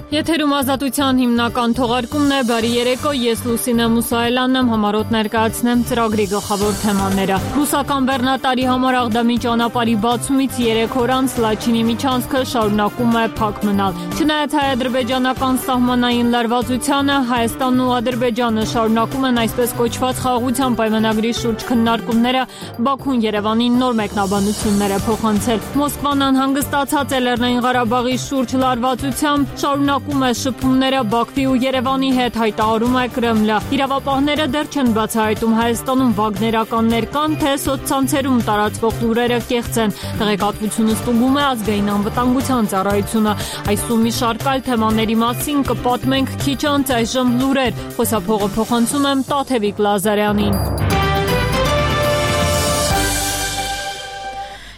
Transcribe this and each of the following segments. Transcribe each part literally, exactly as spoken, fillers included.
Եթերում ազատության հիմնական թողարկումն է, բարի երեկո, ես Լուսինե Մուսայելյանն եմ, համառոտ ներկայացնեմ ծրագրի գլխավոր թեմաները։ Ռուսական բեռնատարի համար Աղդամի ճանապարհի բացումից երեք օր անց Լաչինի միջանցքը շարունակում է փակ մնալ։ Չնայած հայ-ադրբեջանական սահմանային լարվածությանը, Հայաստանն ու Ադրբեջանը շարունակում են այսպես կոչված խաղաղության պայմանագրի շուրջ քննարկումները, Բաքուն Երևանին նոր մեկնաբանություններ է փոխանցել։ Մոսկվան անհանգստացած է Լեռնային Ղարաբաղի շուրջ լարվածությամբ, շարունակում է շփումները Բաքվի ու Երևանի հետ, հայտարարում է Կրեմլը։ Իրավապահները դեռ չեն բացահայտում Հայաստանում վագներականներ կան, թե սոցցանցերում տարածվող լուրերը կեղծ են։ Տեղեկատվությունը ստուգում է ազգային անվտանգության ծառայությունը։ Այս ու մի շարք այլ թեմաների մասին կպատմենք քիչ անց, այժմ լուրեր։ Խոսափողը փոխանցում եմ Տաթևիկ Լազարյանին։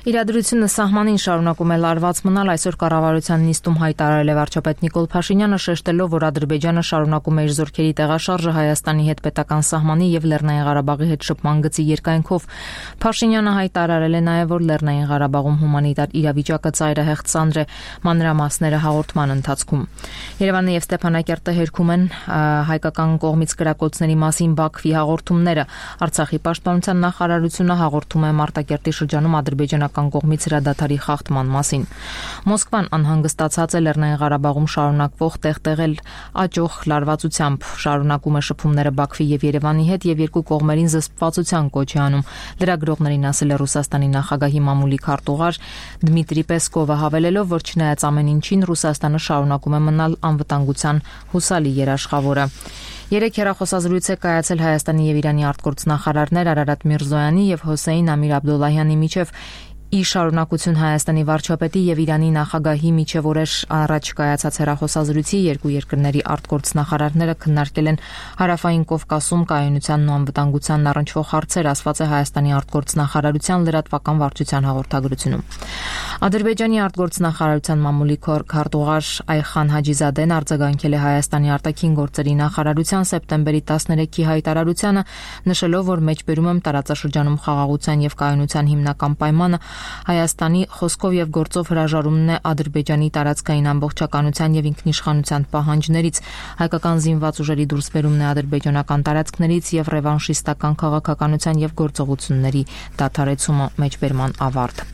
Իրադրությունը սահմանին շարունակում է լարված մնալ, այսօր կառավարության նիստում հայտարարել է վարչապետ Նիկոլ Փաշինյանը, շեշտելով, որ Ադրբեջանը շարունակում է իր զորքերի տեղաշարժը Հայաստանի հետ պետական սահմանի եւ Լեռնային Ղարաբաղի հետ շփման գծի երկայնքով։ Փաշինյանը հայտարարել է նաեւ, որ Լեռնային Ղարաբաղում հումանիտար իրավիճակը ծայրահեղ ծանր է, մանրամասները հաղորդման ընթացքում։ Երևանը եւ Ստեփանակերտը հերքում են հայկական կողմից կրակոցների մասին Բաքվի հաղորդումները։ Արցախի պաշտպանության նախարարությունը հաղորդում է Մարտակերտի շրջանում ադրբեջանական կողմից հրադադարի խախտման մասին։ Մոսկվան անհանգստացած է Լեռնային Ղարաբաղում շարունակվող տեղտեղել աճող լարվածությամբ, շարունակում է շփումները Բաքվի եւ Երևանի հետ եւ երկու կողմերին զսպվածության կոչ է անում։ Լրագրողներին ասել է Ռուսաստանի նախագահի մամուլի քարտուղար Դմիտրի Պեսկովը, հավելելով, որ չնայած ամեն ինչին Ռուսաստանը շարունակում է մնալ անվտանգության հուսալի երաշխավորը։ Երեք հեռախոսազրույց է կայացել Հայաստանի եւ Իրանի արտգործնախարարներ Արարատ Միրզոյանի եւ Հոսեյն Ամիր Աբդոլլահյանի միջև։ Ի շարունակություն Հայաստանի վարչապետի եւ Իրանի նախագահի միջև օրեր առաջ կայացած հեռախոսազրույցի երկու երկրների արտգործնախարարները քննարկել են Հարավային Կովկասում կայունությանն ու անվտանգությանն առնչվող հարցեր, ասված է Հայաստանի արտգործնախարարության լրատվական վարչության հաղորդագրությունում։ Ադրբեջանի արտգործնախարարության մամուլի քարտուղար Այխան Հաջիզադեն արձագանքել է Հայաստանի արտաքին գործերի նախարարության սեպտեմբերի տասներեքի հայտարարությանը, նշելով, որ մեջբերում եմ տարածաշրջանում խաղաղության եւ կայունության հիմնական պայմանը Հայաստանի խոսքով եւ գործով հրաժարումն է Ադրբեջանի տարածքային ամբողջականության եւ ինքնիշխանության պահանջներից, հայկական զինված ուժերի դուրսբերումն է ադրբեջանական տարածքներից եւ ռևանշիստական քաղաքականության եւ գործողությունների դադարեցումը, մեջբերման ավարտ։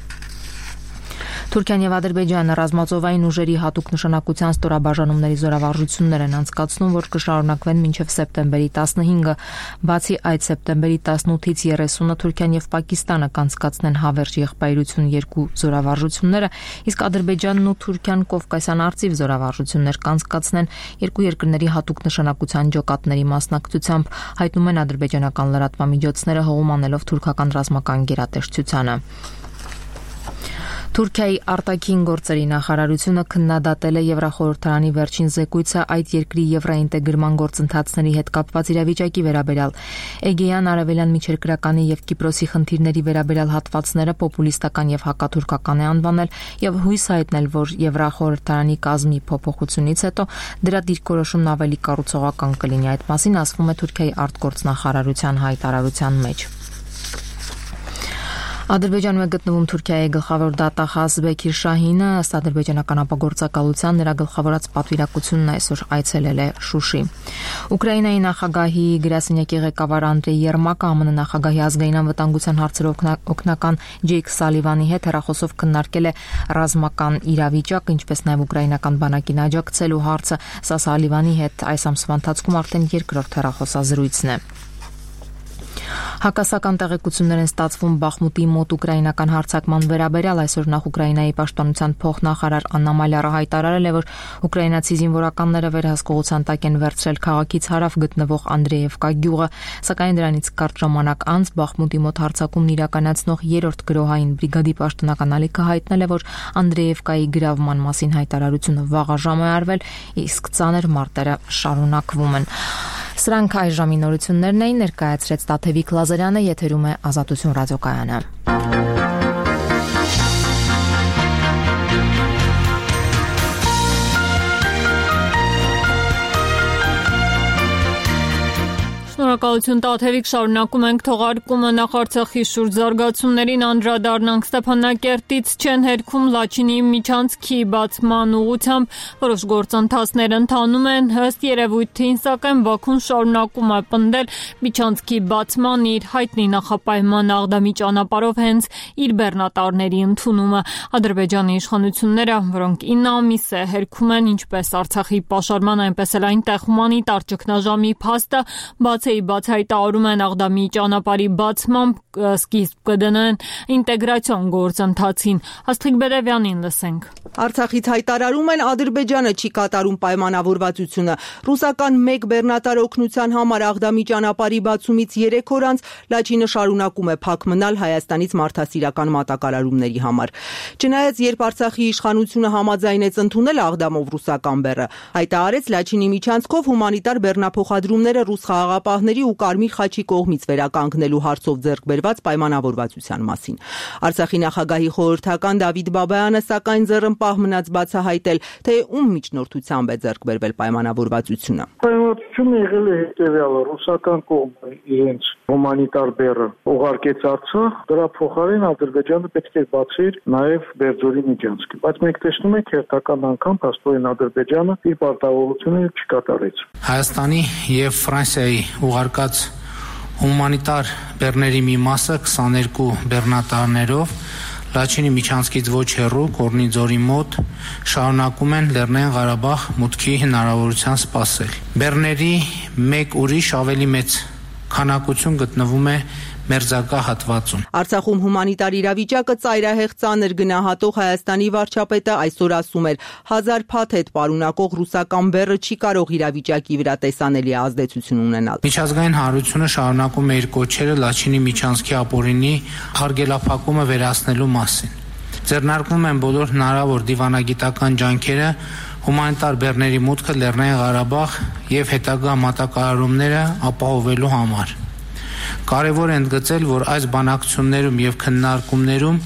Թուրքիան եւ Ադրբեջանը ռազմածովային ուժերի հատուկ նշանակության ստորաբաժանումների զորավարժություններ են անցկացնում, որ կշարունակվեն մինչև սեպտեմբերի տասնհինգը, բացի այդ սեպտեմբերի տասնութից երեսունը Թուրքիան եւ Պակիստանը կանցկացնեն հավերժ եղբայրություն երկու զորավարժությունները, իսկ Ադրբեջանն ու Թուրքիան Կովկասյան արծիվ զորավարժություններ կանցկացնեն երկու երկրների հատուկ նշանակության ջոկատների մասնակցությամբ, հայտնում են ադրբեջանական լրատվամիջոցները հողում անելով թուրքական ռազմական գերատեսչությանը։ Թուրքիայի արտաքին գործերի նախարարությունը քննադատել է Եվրախորհրդարանի վերջին զեկույցը այդ երկրի եվրոինտեգրման գործընթացների հետ կապված իրավիճակի վերաբերյալ։ Էգեյան, Արևելյան Միջերկրականի եւ Կիպրոսի խնդիրների վերաբերյալ հատվածները պոպուլիստական եւ հակաթուրքական է անվանել եւ հույս հայտնել, որ Եվրախորհրդարանի կազմի փոփոխությունից հետո դրա դիրքորոշումն ավելի կառուցողական կլինի։ Այդ մասին ասվում է Թուրքիայի արտգործնախարարության հայտարարության մեջ։ Ադրբեջանում է գտնվում Թուրքիայի գլխավոր դատախազ Բեքիր Շահինը, ըստ ադրբեջանական ապագործակալության նրա գլխավորած պատվիրակությունն այսօր այցելել է Շուշի։ Ուկրաինայի նախագահի գրասենյակի ղեկավար Անդրեյ Երմակը ԱՄՆ նախագահի ազգային անվտանգության հարցերով օգնական Ջեյք Սալիվանի հետ հեռախոսով քննարկել է ռազմական իրավիճակը, ինչպես նաև ուկրաինական բանակին աջակցելու հարցը։ Սա Սալիվանի հետ այս ամսվա ընթացքում արդեն երկրորդ հեռախոսազրույցն է։ Հակասական տեղեկություններ են ստացվում Բախմուտի մոտ ուկրաինական հարձակման վերաբերյալ, այսօր նախ Ուկրաինայի պաշտպանության փոխնախարար Աննա Մալյարը հայտարարել է, որ ուկրաինացի զինվորականները վերահսկողության տակ են վերցրել քաղաքից հարավ գտնվող Անդրեևկա գյուղը, սակայն դրանից կարճ ժամանակ անց Բախմուտի մոտ հարձակումն իրականացնող երրորդ գրոհային բրիգադի պաշտոնական ալիքը հայտնել է, որ Անդրեևկայի գրավման մասին հայտարարությունը վաղաժամ է արվել, իսկ ծանր մարտերը շարունակվում են։ Սրանք այժմի նորություններն էին, ներկայացրեց Տաթևիկ Լազարյանը, եթերում է Ազատություն ռադիոկայանը։ Շնորհակալություն Տաթևիկ, շարունակում ենք թողարկումը նախարցախի շուրջ զարգացումներին անդրադառնանք Ստեփանակերտից չեն հերքում Լաչինի միջանցքի բացման ուղղությամբ որոշ գործընթացներ ընթանում են ըստ երևույթին, սակայն Բաքուն շարունակում է պնդել միջանցքի բացման իր հայտնի նախապայման Աղդամի ճանապարհով հենց իր բեռնատարների ընդունումը։ Ադրբեջանի իշխանությունները, որոնք ինը ամիս է հերքում են ինչպես Արցախի պաշարման, այնպես էլ այնտեղ հումանիտար ճգնաժամի փաստը բացեի բաց հայտարարում են Աղդամի ճանապարհի բացմամբ սկիզբ կդնեն ինտեգրացիոն գործընթացին։ Աստղիկ Բերևյանին լսենք։ Արցախից հայտարարում են Ադրբեջանը չի կատարում պայմանավորվածությունը։ Ռուսական մեկ բեռնատար օգնության համար Աղդամի ճանապարհի բացումից երեք օր անց Լաչինը շարունակում է փակ մնալ Հայաստանից մարդասիրական մատակարարումների համար։ Չնայած երբ Արցախի իշխանությունը համաձայնեց ընդունել Աղդամով ռուսական բեռը, հայտարարեց Լաչինի միջանցքով հումանիտար բեռնափոխադրումները ռուս խաղաղապահների ու Կարմիր խաչի կողմից վերականգնելու հարցով ձեռք բերված պայմանավորվածության մասին։ Արցախի նախագահի խորհրդական Դավիթ Բաբայանը սակայն ձեռնպահ մնաց բացահայտել, թե ում միջնորդությամբ է ձեռք բերվել պայմանավորվածությունը։ Պայմանավորվածությունը եղել է հետևյալը. ռուսական կողմը իրենց հումանիտար բեռը ուղարկեց Արցախ, դրա փոխարեն Ադրբեջանը պետք է բացեր նաև Բերձորի միջանցքը, բայց մենք տեսնում ենք հերթական անգամ փաստորեն Ադրբեջանը իր պարտավորությունը չկատարեց։ Հայաստանի եւ Ֆրանսիայի ուղարկած հումանիտար բեռների մի մասը քսաներկու բեռնատարներով Լաչինի միջանցքից ոչ հեռու Կորնի ձորի մոտ շարունակում են Լեռնային Ղարաբաղ մուտքի հնարավորության սպասել։ Բեռների մեկ ուրիշ ավելի մեծ քանակություն գտնվում է մերձակա հատվածում։ Արցախում հումանիտար իրավիճակը ծայրահեղ ծանր գնահատող Հայաստանի վարչապետը այսօր ասում էր. հազար փաթեթ պարունակող ռուսական բեռը չի կարող իրավիճակի վրա տեսանելի ազդեցություն ունենալ։ Միջազգային հանրությունը շարունակում է իր կոչերը Լաչինի միջանցքի ապօրինի հարգելափակումը վերացնելու մասին։ Ձեռնարկվում են բոլոր հնարավոր դիվանագիտական ջանքերը հումանիտար բեռների մուտքը Լեռնային Ղարաբաղ եւ հետագա մատակարարումները ապահովելու համար։ Կարևոր է ընդգծել, որ այս բանակցություններում եւ քննարկումներում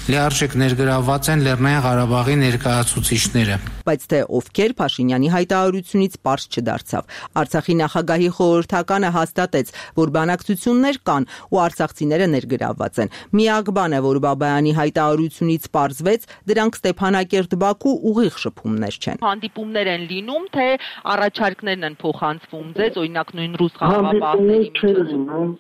լիարժեք ներգրավված են Լեռնային Ղարաբաղի ներկայացուցիչները։ Բայց թե ովքեր Փաշինյանի հայտարարությունից պարզ չդարձավ։ Արցախի նախագահի խորհրդականը հաստատեց, որ բանակցություններ կան ու արցախցիները ներգրավված են։ Միակ բանը, որ Բաբայանի հայտարարությունից պարզվեց, դրանք Ստեփանակերտ-Բաքու ուղիղ շփումներ չեն։ Հանդիպումներ են լինում, թե առաջարկներն են փոխանցվում ձեզ, օրինակ նույն ռուս խաղաղապահների միջոցով։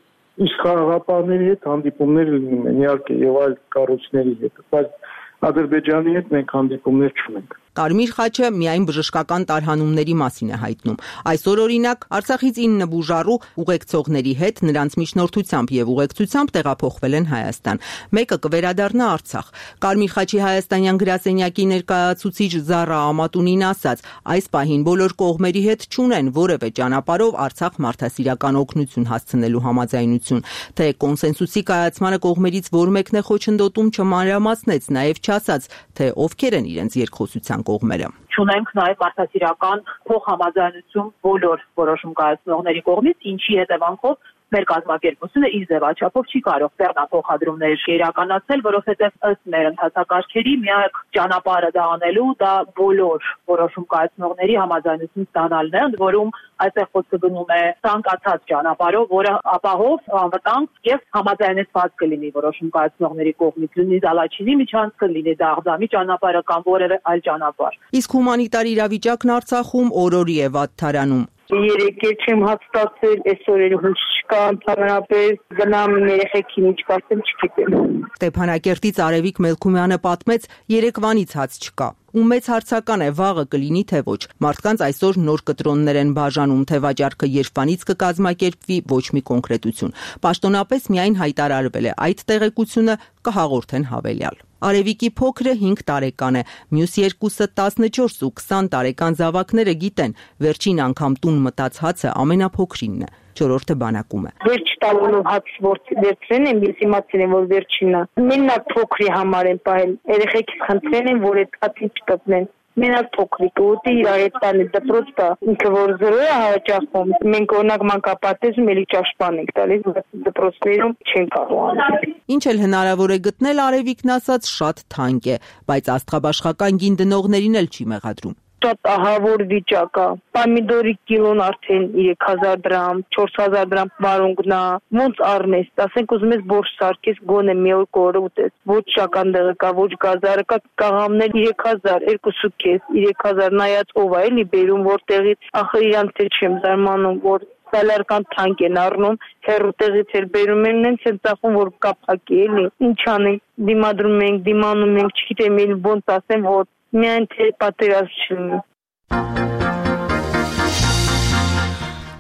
Իսկ խաղաղապահների հետ հանդիպումներ լինում են, իհարկե, եւ այլ կառույցների հետ, բայց Ադրբեջանի հետ մենք հանդիպումներ չունենք։ Կարմիր խաչը միայն բժշկական տարհանումների մասին է հայտնում։ Այսօր օրինակ Արցախից ինը բուժառու ուղեկցողների հետ նրանց միջնորդությամբ եւ ուղեկցությամբ տեղափոխվել են Հայաստան։ Մեկը կվերադառնա Արցախ։ Կարմիր խաչի հայաստանյան գրասենյակի ներկայացուցիչ Զառա Ամատունին ասաց. այս պահին բոլոր կողմերի հետ չունեն որևէ ճանապարհով Արցախ մարդասիրական օգնություն հասցնելու համաձայնություն, թե կոնսենսուսի կայացմանը կողմերից որ մեկն է խոչընդոտում չմանրամասնեց, նաեւ չասաց, թե ովքեր են իրենց երկխոսության կողմերը։ Չունենք նաև մարդասիրական փոխհամաձայնություն բոլոր որոշում կայացնողների կողմից, ինչի հետևանքով մեր կազմակերպությունը իր ձևաչափով չի կարող բեռնափոխադրումներ իրականացնել, որովհետև ըստ մեր ընթացակարգերի միակ ճանապարհը դա անելու դա բոլոր որոշում կայացնողների համաձայնություն ստանալն է, ընդ որում այստեղ խոսքը գնում է ցանկացած ճանապարհով, որը ապահով, անվտանգ եւ համաձայնեցված կլինի որոշում կայացնողների կողմից, լինի դա Լաչինի միջանցքը, լինի դա Աղդամի ճանապարհը կամ որևէ այլ ճանապարհ։ Իսկ հումանիտար իրավիճակն Արցախում օրորի է վատթարանում։ Երեք էլ չեմ հաստատել, այսօր էլ հույս չկա, ընդհանրապես գնամ երեխեքին ինչ կարծեմ չգիտեմ։ Ստեփանակերտից Արևիկ Մելքումյանը պատմեց, երեկվանից հաց չկա։ Ու մեծ հարցական է վաղը կլինի թե ոչ։ Մարդկանց այսօր նոր կտրոններ են բաժանում, թե վաճառքը երբանից կկազմակերպվի, ոչ մի կոնկրետություն։ Պաշտոնապես միայն հայտարարվել է այդ տեղեկությունը կհաղորդեն հավելյալ։ Արևիկի փոքրը հինգ տարեկան է, մյուս երկուսը տասնչորս ու քսան տարեկան զավակները գիտեն, վերջին անգամ տուն մտած հացը ամենափոքրինն է, չորրորդը բանակում է։ Վերջ տալով հաց վերցրեն են, ես իմացել եմ, որ վերջինն է։ Մենակ փոքրի համար են պահել, երեխեքից խնդրել են, որ այդ հացին չտպնեն։ Մենակ փոքրիկ ուտի իր այդ տանը դպրոց տա, ինքը որ զրո է հաճախում, մենք օրինակ մանկապարտեզում էլի ճաշպան ենք տալիս, դպրոցներում չեն կարող անել։ Ինչ էլ հնարավոր է գտնել, Արևիկն ասաց շատ թանկ է, բայց աստղաբաշխական գին դնողներին էլ չի մեղադրում։ Շուտ ահավոր վիճակ է։ Պոմիդորի կիլոն արդեն երեք հազար դրամ, չորս հազար դրամ վարունգնա։ Ոնց առնես, ասենք ուզում ես բորշ սարքես, գոնե մի օր կորը ուտես։ Ոչ շական դեղը կա, ոչ գազարը կա, կաղամներ երեք հազար, երկուսու քեզ, երեք հազար նայած ով է էլի բերում որտեղից, ախր իրանց թե չեմ զարմանում, որ սալարական թանկ են առնում, հերուտեղից էլ բերում են, նենց են ծախում, որ կապակի էլի։ Ինչ անենք, դիմադրում ենք, դիմանում ենք, չգիտեմ էլ ոնց ասեմ, որ միայն թե պատերազմ չլինի։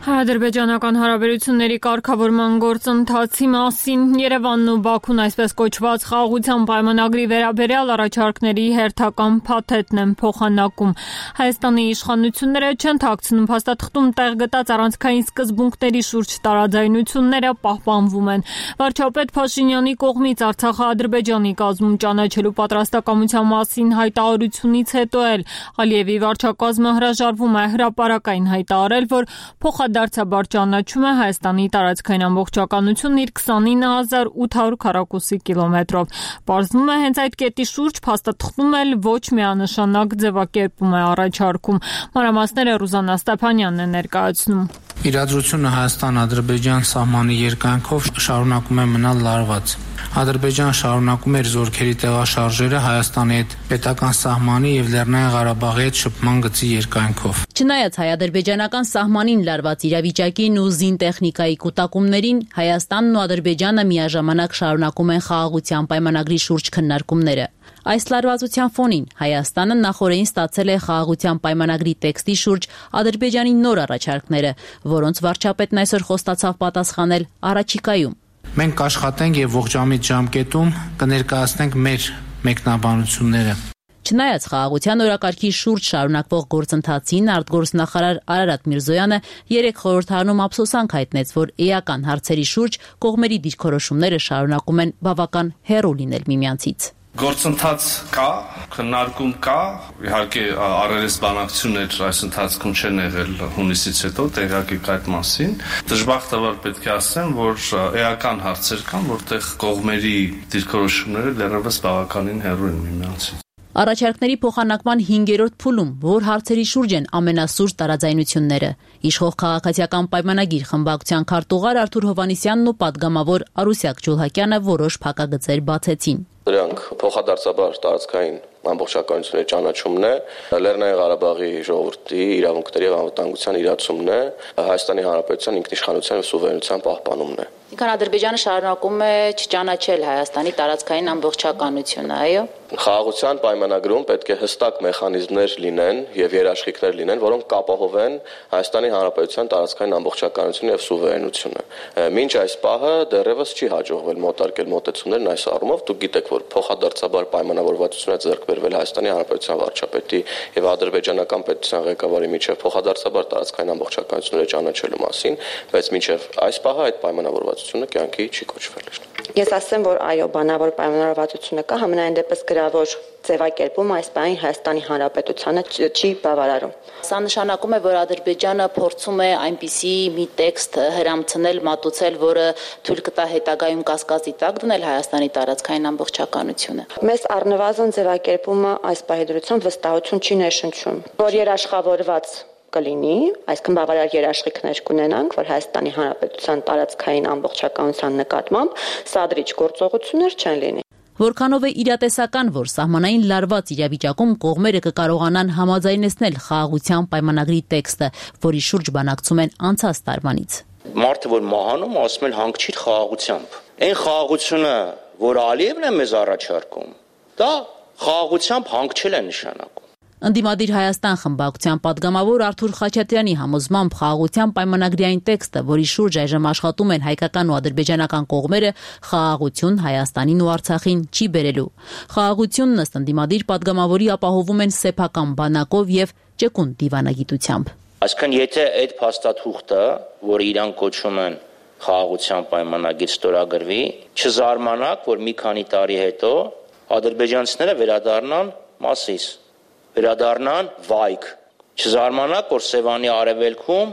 Հայ-ադրբեջանական հարաբերությունների կարգավորման գործընթացի մասին Երևանն ու Բաքուն այսպես կոչված խաղաղության պայմանագրի վերաբերյալ առաջարկների հերթական փաթեթն են փոխանակում։ Հայաստանի իշխանությունները չեն թաքցնում փաստաթղթում տեղ գտած առանցքային սկզբունքների շուրջ տարաձայնությունները պահպանվում են։ Վարչապետ Փաշինյանի կողմից Արցախը-Ադրբեջանի կազմում ճանաչելու պատրաստակամության մասին հայտարարությունից հետո էլ Ալիևի վարչակազմը հրաժարվում է հրապարակային հայտարարել, որ փոխադարձաբար ճանաչում է Հայաստանի տարածքային ամբողջականությունն իր քսանինը հազար ութ հարյուր քառակուսի կիլոմետրով։ Պարզվում է հենց այդ կետի շուրջ փաստաթղթում էլ ոչ միանշանակ ձևակերպում է առաջարկում։ Մանրամասները Ռուզաննա Ստեփանյանն է ներկայացնում։ Իրադրությունը Հայաստան-Ադրբեջան սահմանի երկայնքով շարունակում է մնալ լարված։ Ադրբեջանը շարունակում էր զորքերի տեղաշարժերը Հայաստանի հետ պետական սահմանի եւ Լեռնային Ղարաբաղի հետ շփման գծի երկայնքով։ Չնայած հայ-ադրբեջանական սահմանին լարված իրավիճակին ու զինտեխնիկայի կուտակումներին, Հայաստանն ու Ադրբեջանը միաժամանակ շարունակում են խաղաղության պայմանագրի շուրջ քննարկումները։ Այս լարվածության ֆոնին Հայաստանը նախորդին ստացել է խաղաղության պայմանագրի տեքստի շուրջ Ադրբեջանի նոր առաջարկները, որոնց վարչապետն այսօր խոստացավ պատասխանել առաջիկայում։ Մենք կաշխատենք եւ ողջամիտ ժամկետում կներկայացնենք մեր մեկնաբանությունները։ Չնայած խաղաղության օրակարգի շուրջ շարունակվող գործընթացին, արտգործնախարար Արարատ Միրզոյանը երեկ խորհրդարանում ափսոսանք հայտնեց, որ էական հարցերի շուրջ կողմերի դիրքորոշումները շարունակում են բավական հեռու լինել միմյանցից։ Գործընթաց կա, քննարկում կա, իհարկե առերես բանակցություններ այս ընթացքում չեն եղել հունիսից հետո, տեղյակ եք այդ մասին։ Դժբախտաբար պետք է ասեմ, որ էական հարցեր կան, որտեղ կողմերի դիրքորոշումները դեռևս բավականին հեռու են միմյանցից։ Առաջարկների փոխանակման հինգերորդ փուլում, որ հարցերի շուրջ են ամենասուր տարաձայնությունները։ Իշխող քաղաքացիական պայմանագիր խմբակցության քարտուղար Արթուր Հովհաննիսյանն ու պատգամավոր Արուսյակ Ջուլհակյանը որոշ փակագծեր բացեցին։ Դրանք փոխադարձաբար տարածքային ամբողջականությունների ճանաչումն է, Լեռնային Ղարաբաղի ժողովրդի իրավունքների եւ անվտանգության իրացումն է, Հայաստանի Հանրապետության ինքնիշխանության եւ սուվերենության պահպանումն է։ Ինքան Ադրբեջանը շարունակում է չճանաչել Հայաստանի տարածքային ամբողջականությունը, այո։ Խաղաղության պայմանագրում պետք է հստակ մեխանիզմներ լինեն եւ երաշխիքներ լինեն, որոնք կապահովեն Հայաստանի Հանրապետության տարածքային ամբողջականությունը եւ սուվերենությունը։ Մինչ այս պահը դեռևս չի հաջողվել մոտարկել մոտեցումներն այս առումով։ Դուք գիտեք, որ փոխադարձաբար պայմանավորվածություն է ձեռք բերվել Հայաստանի Հանրապետության վարչապետի եւ ադրբեջանական պետության ղեկավարի միջեւ փոխադարձաբար տարածքային ամբողջականությունները ճանաչելու մասին, բայց մինչեւ այս պահը այդ պայմանավորվածությունը կյանքի չի կոչվել։ Ես ասեմ, որ այո, բանավոր պայմանավորվածությունը կա, համենայն դեպս գրավոր ձևակերպում այս բանի Հայաստանի Հանրապետությանը չի բավարարում։ Սա նշանակում է, որ Ադրբեջանը փորձում է այնպիսի մի տեքստ հրամցնել, մատուցել, որը թույլ կտա հետագայում կասկածի տակ դնել Հայաստանի տարածքային ամբողջականությունը։ Մեզ առնվազն ձևակերպումը այս պահի դրությամբ վստահություն չի ներշնչում, որ երաշխավորված կլինի, այսքան բավարար երաշխիքներ կունենանք, որ Հայաստանի Հանրապետության տարածքային ամբողջականության նկատմամբ սադրիչ գործողություններ չեն լինի։ Որքանով է իրատեսական, որ սահմանային լարված իրավիճակում կողմերը կկարողանան համաձայնեցնել խաղաղության պայմանագրի տեքստը, որի շուրջ բանակցում են անցած տարվանից։ Մարդը, որ մահանում, ասում են հանգչիր խաղաղությամբ։ Այն խաղաղությունը, որ Ալիևն է մեզ առաջարկում, դա խաղաղությամբ հանգչել է նշանակում։ Ընդդիմադիր Հայաստան խմբակցության պատգամավոր Արթուր Խաչատրյանի համոզմամբ խաղաղության պայմանագրի այն տեքստը, որի շուրջ այժմ աշխատում են հայկական ու ադրբեջանական կողմերը, խաղաղություն Հայաստանին ու Արցախին չի բերելու։ Խաղաղությունն ըստ ընդդիմադիր պատգամավորի ապահովում են սեփական բանակով եւ ճկուն դիվանագիտությամբ։ Այսինքն, եթե այդ փաստաթուղթը, որը իրան կոչում են խաղաղության պայմանագիր, ստորագրվի, չզարմանաք, որ մի քանի տարի հետո ադրբեջանցիները վերադառնան Մասիս, վերադառնան Վայք։ Չզարմանաք, որ Սևանի արևելքում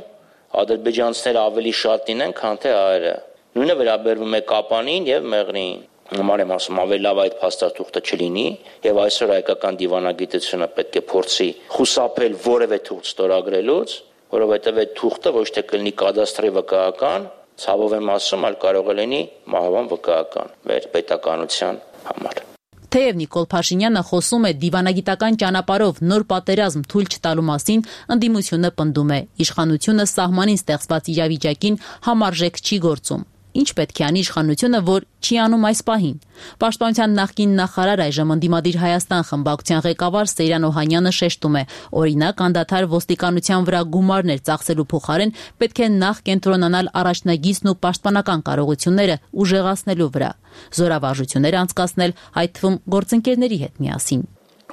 ադրբեջանցիները ավելի շատ լինեն, քան թե հայերը։ Նույնը վերաբերվում է Կապանին եւ Մեղրիին։ Համար եմ ասում, ավելի լավ այդ փաստաթուղթը չլինի, եւ այսօր հայկական դիվանագիտությունը պետք է փորձի խուսափել որևէ թուղթ ստորագրելուց, որովհետեւ այդ թուղթը ոչ թե կլինի կադաստրի վկայական, ցավով եմ ասում, այլ կարող է լինի մահվան վկայական մեր պետականության համար։ Թեև Նիկոլ Փաշինյանը խոսում է դիվանագիտական ճանապարհով նոր պատերազմ թույլ չտալու մասին, ընդդիմությունը պնդում է, իշխանությունը սահմանին ստեղծված իրավիճակին համարժեք չի գործում։ Ինչ պետք է անի իշխանությունը, որ չի անում այս պահին։ Պաշտպանության նախկին նախարար այժմ ընդդիմադիր Հայաստան խմբակցության ղեկավար Սեյրան Օհանյանը շեշտում է, օրինակ անդադար ոստիկանության վրա գումարներ ծախսելու փոխարեն պետք է նախ կենտրոնանալ առաջնագիծն ու պաշտպանական կարողությունները ուժեղացնելու վրա, զորավարժություններ անցկացնել, այդ թվում գործընկերների հետ միասին։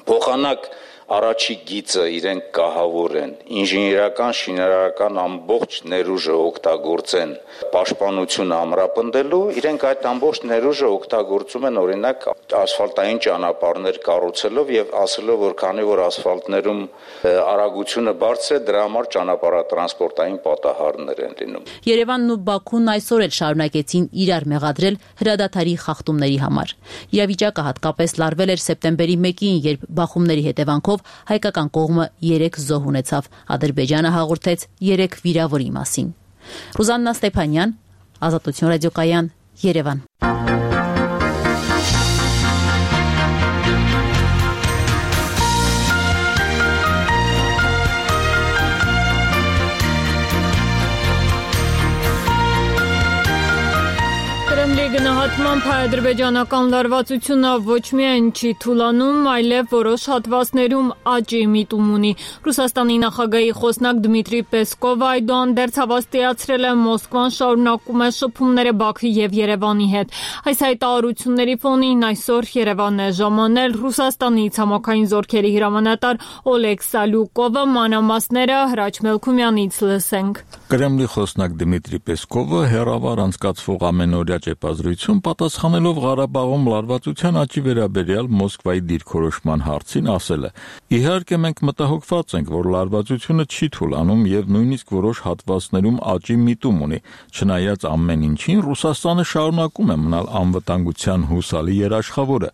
Փոխանակ առաջի գիծը իրենք կահավոր են, ինժեներական, շինարարական ամբողջ ներուժը օգտագործեն պաշտպանությունը ամրապնդելու, իրենք այդ ամբողջ ներուժը օգտագործում են օրինակ ասֆալտային ճանապարհներ կառուցելով եւ ասելով, որ քանի որ ասֆալտներում արագությունը բարձր է, դրա համար ճանապարհատրանսպորտային պատահարներ են լինում։ Երևանն ու Բաքուն այսօր էլ շարունակեցին իրար մեղադրել հրադադարի խախտումների համար։ Իրավիճակը հատկապես լարվել էր սեպտեմբերի մեկին, երբ բախումների հետևանքով հայկական կողմը երեք զոհ ունեցավ, Ադրբեջանը հաղորդեց երեք վիրավորի մասին։ Ռուզաննա Ստեփանյան, Ազատություն ռադիոկայան, Երևան։ Գնահատմամբ հայ-ադրբեջանական լարվածությունը ոչ միայն չի թուլանում, այլև որոշ հատվածներում աճի միտում ունի։ Ռուսաստանի նախագահի խոսնակ Դմիտրի Պեսկովը այդուհանդերձ հավաստիացրել է Մոսկվան շարունակում է շփումները Բաքվի եւ Երևանի հետ։ Այս հայտարարությունների ֆոնին այսօր Երևանն է ժամանել Ռուսաստանի ցամաքային զորքերի հրամանատար Օլեգ Սալյուկովը, մանրամասները Հրաչ Մելքումյանից լսենք։ Կրեմլի խոսնակ Դմիտրի Պեսկովը հերավար անցկացվող ամենօրյա ճեպազրույցում պատասխանելով Ղարաբաղում լարվածության աճի վերաբերյալ Մոսկվայի դիրքորոշման հարցին ասել է. Իհարկե մենք մտահոգված ենք, որ լարվածությունը չի թուլանում եւ նույնիսկ որոշ հատվածներում աճի միտում ունի, չնայած ամեն ինչին Ռուսաստանը շարունակում է մնալ անվտանգության հուսալի երաշխավորը։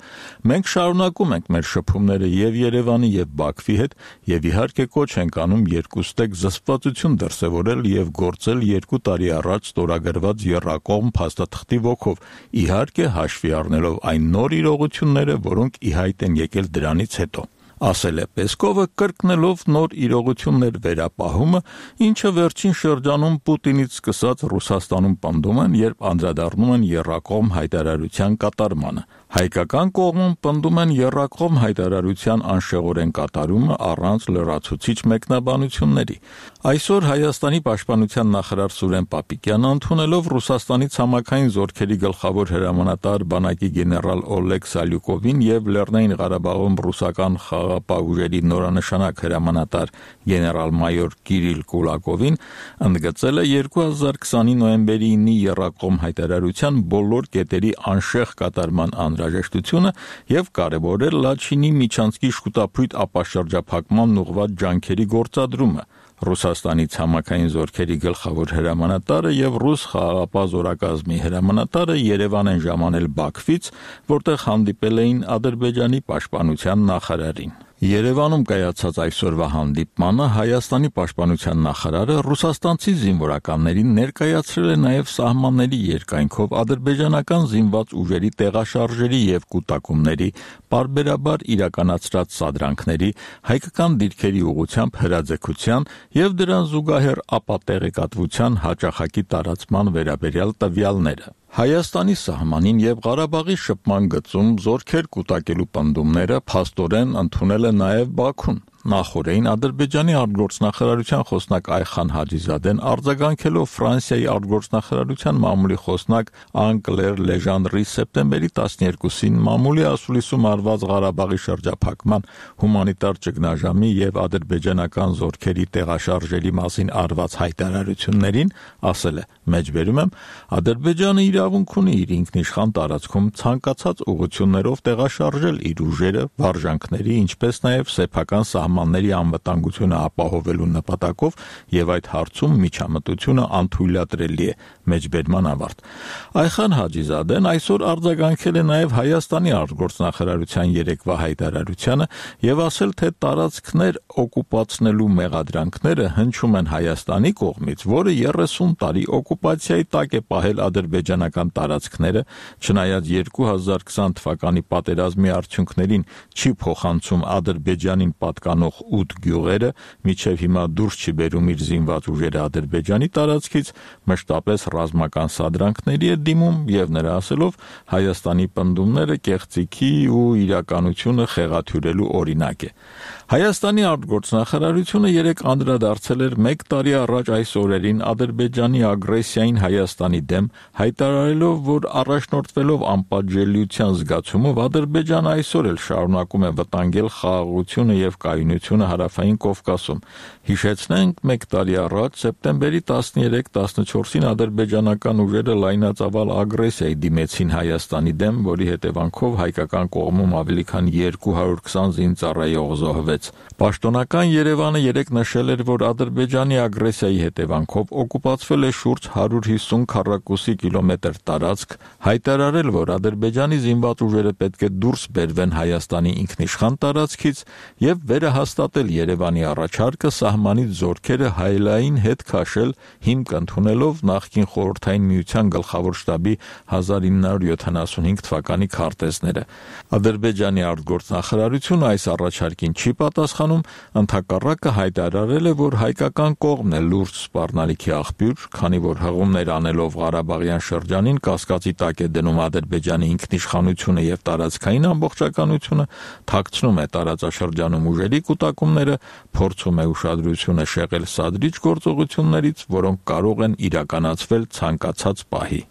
Մենք շարունակում ենք մեր շփումները եւ Երևանի եւ Բաքվի հետ եւ իհարկե կոչ ենք անում երկուստեք զսպվածություն դրսեւորել եւ գործել երկու տարի առաջ ստորագրված եռակողմ փաստաթղթի ոգով, իհարկե հաշվի առնելով այն նոր իրողությունները, որոնք ի հայտ են եկել դրանից հետո։ Ասել է Պեսկովը, կրկնելով նոր իրողություններ վերապահումը, ինչը վերջին շրջանում Պուտինից սկսած Ռուսաստանում պնդում են, երբ անդրադառնում են եռակողմ հայտարարության կատարմանը։ Հայկական կողմում պնդում են եռակողմ հայտարարության անշեղորեն կատարումը առանց լրացուցիչ մեկնաբանությունների։ Այսօր Հայաստանի պաշտպանության նախարար Սուրեն Պապիկյանը ընդունելով Ռուսաստանի ցամաքային զորքերի գլխավոր հրամանատար բանակի գեներալ Օլեգ Սալյուկովին եւ Լեռնային Ղարաբաղում ռուսական խաղաղապահ ուժերի նորանշանակ հրամանատար գեներալ-մայոր Կիրիլ Կուլակովին ընդգծել է երկու հազար քսանի նոյեմբերի ինի եռակողմ հայտարարության բոլոր կետերի անշեղ կատարման անհրաժեշտությունը եւ կարեւորել Լաչինի միջանցքի շուտապույտ ապաշրջափակման ուղղված ջանքերի գործադրումը։ Ռուսաստանի ցամաքային զորքերի գլխավոր հրամանատարը եւ ռուս խաղաղապահ զորակազմի հրամանատարը Երևան են ժամանել Բաքվից, որտեղ հանդիպել էին Ադրբեջանի պաշտպանության նախարարին։ Երևանում կայացած այսօրվա հանդիպմանը Հայաստանի պաշտպանության նախարարը ռուսաստանցի զինվորականներին ներկայացրել է նաև սահմանների երկայնքով ադրբեջանական զինված ուժերի տեղաշարժերի եւ կուտակումների, պարբերաբար իրականացրած սադրանքների, հայկական դիրքերի ուղղությամբ հրաձգության եւ դրան զուգահեռ ապատեղեկատվության հաճախակի տարածման վերաբերյալ տվյալները։ Հայաստանի սահմանին եւ Ղարաբաղի շփման գծում զորքեր կուտակելու պնդումները փաստորեն ընդունել է նաև Բաքուն։ Նախորդին Ադրբեջանի արտգործնախարարության խոսնակ Այխան Հաջիզադեն արձագանքելով Ֆրանսիայի արտգործնախարարության մամուլի խոսնակ Անկլեր Լեժանդրի սեպտեմբերի տասներկուսին մամուլի ասուլիսում արված Ղարաբաղի շրջափակման հումանիտար ճգնաժամի եւ ադրբեջանական զորքերի տեղաշարժերի մասին արված հայտարարություններին ասել է. «Մեջբերում եմ, Ադրբեջանը իրավունք ունի իր ինքնիշխան տարածքում ցանկացած ուղղություններով տեղաշարժել իր ուժերը, վարժանքների, ինչպես նաեւ սեփական սահմանների սահմանների անվտանգությունը ապահովելու նպատակով եւ այդ հարցում միջամտությունը անթույլատրելի է, մեջբերման ավարտ։ Այխան Հաջիզադեն այսօր արձագանքել է նաեւ Հայաստանի արտգործնախարարության երեկվա հայտարարությանը եւ ասել, թե տարածքներ օկուպացնելու մեղադրանքները հնչում են Հայաստանի կողմից, որը երեսուն տարի օկուպացիայի տակ է պահել ադրբեջանական տարածքները, չնայած երկու հազար քսան թվականի պատերազմի արդյունքներին չի փոխանցում Ադրբեջանին պատկանող ութ գյուղերը, մինչև հիմա դուրս չի բերում իր զինված ուժերը Ադրբեջանի տարածքից, մշտապես ռազմական սադրանքների է դիմում եւ նրա ասելով Հայաստանի պնդումները կեղծիքի ու իրականությունը խեղաթյուրելու օրինակ է։ Հայաստանի արտգործնախարարությունը երեք անդրադարձել էր մեկ տարի առաջ այս օրերին Ադրբեջանի ագրեսիային Հայաստանի դեմ, հայտարարելով, որ առաջնորդվելով անպատժելիության զգացումով Ադրբեջանը այսօր էլ շարունակում է վտանգել խաղաղությունը եւ կայունությունը Հարավային Կովկասում։ Հիշեցնենք, մեկ տարի առաջ սեպտեմբերի տասներեք տասնչորսին ադրբեջանական ուժերը լայնածավալ ագրեսիայի դիմեցին Հայաստանի դեմ, որի հետևանքով հայկական կողմում ավելի քան երկու հարյուր քսան զինծառայող զոհվեց։ Պաշտոնական Երևանը երեկ նշել էր, որ Ադրբեջանի ագրեսիայի հետևանքով օկուպացվել է շուրջ հարյուր հիսուն քառակուսի կիլոմետր տարածք, հայտարարել, որ Ադրբեջանի զինված ուժերը պետք է դուրս բերվեն Հայաստանի ինքնիշխան տարածքից եւ վերահաստատել Երևանի առաջարկը սահմանից զորքերը հայելային հետ քաշել, հիմք ընդունելով նախկին խորհրդային միության գլխավոր շտաբի հազար ինը հարյուր յոթանասունհինգ թվականի քարտեզները։ Ադրբեջանի արտգործնախարարությունը այս առաջարկին չի պատասխանում, ընդհակառակը հայտարարել է, որ հայկական կողմն է լուրջ սպառնալիքի աղբյուր, քանի որ հղումներ անելով Ղարաբաղյան շրջանին կասկածի տակ է դնում Ադրբեջանի ինքնիշխանությունը եւ տարածքային ամբողջականությունը, թաքցնում է տարածաշրջանում ուժերի կուտակումները, փորձում է ուշադրությունը շեղել սադրիչ գործողություններից, որոնք կարող են իրականացվել ցանկացած պահի։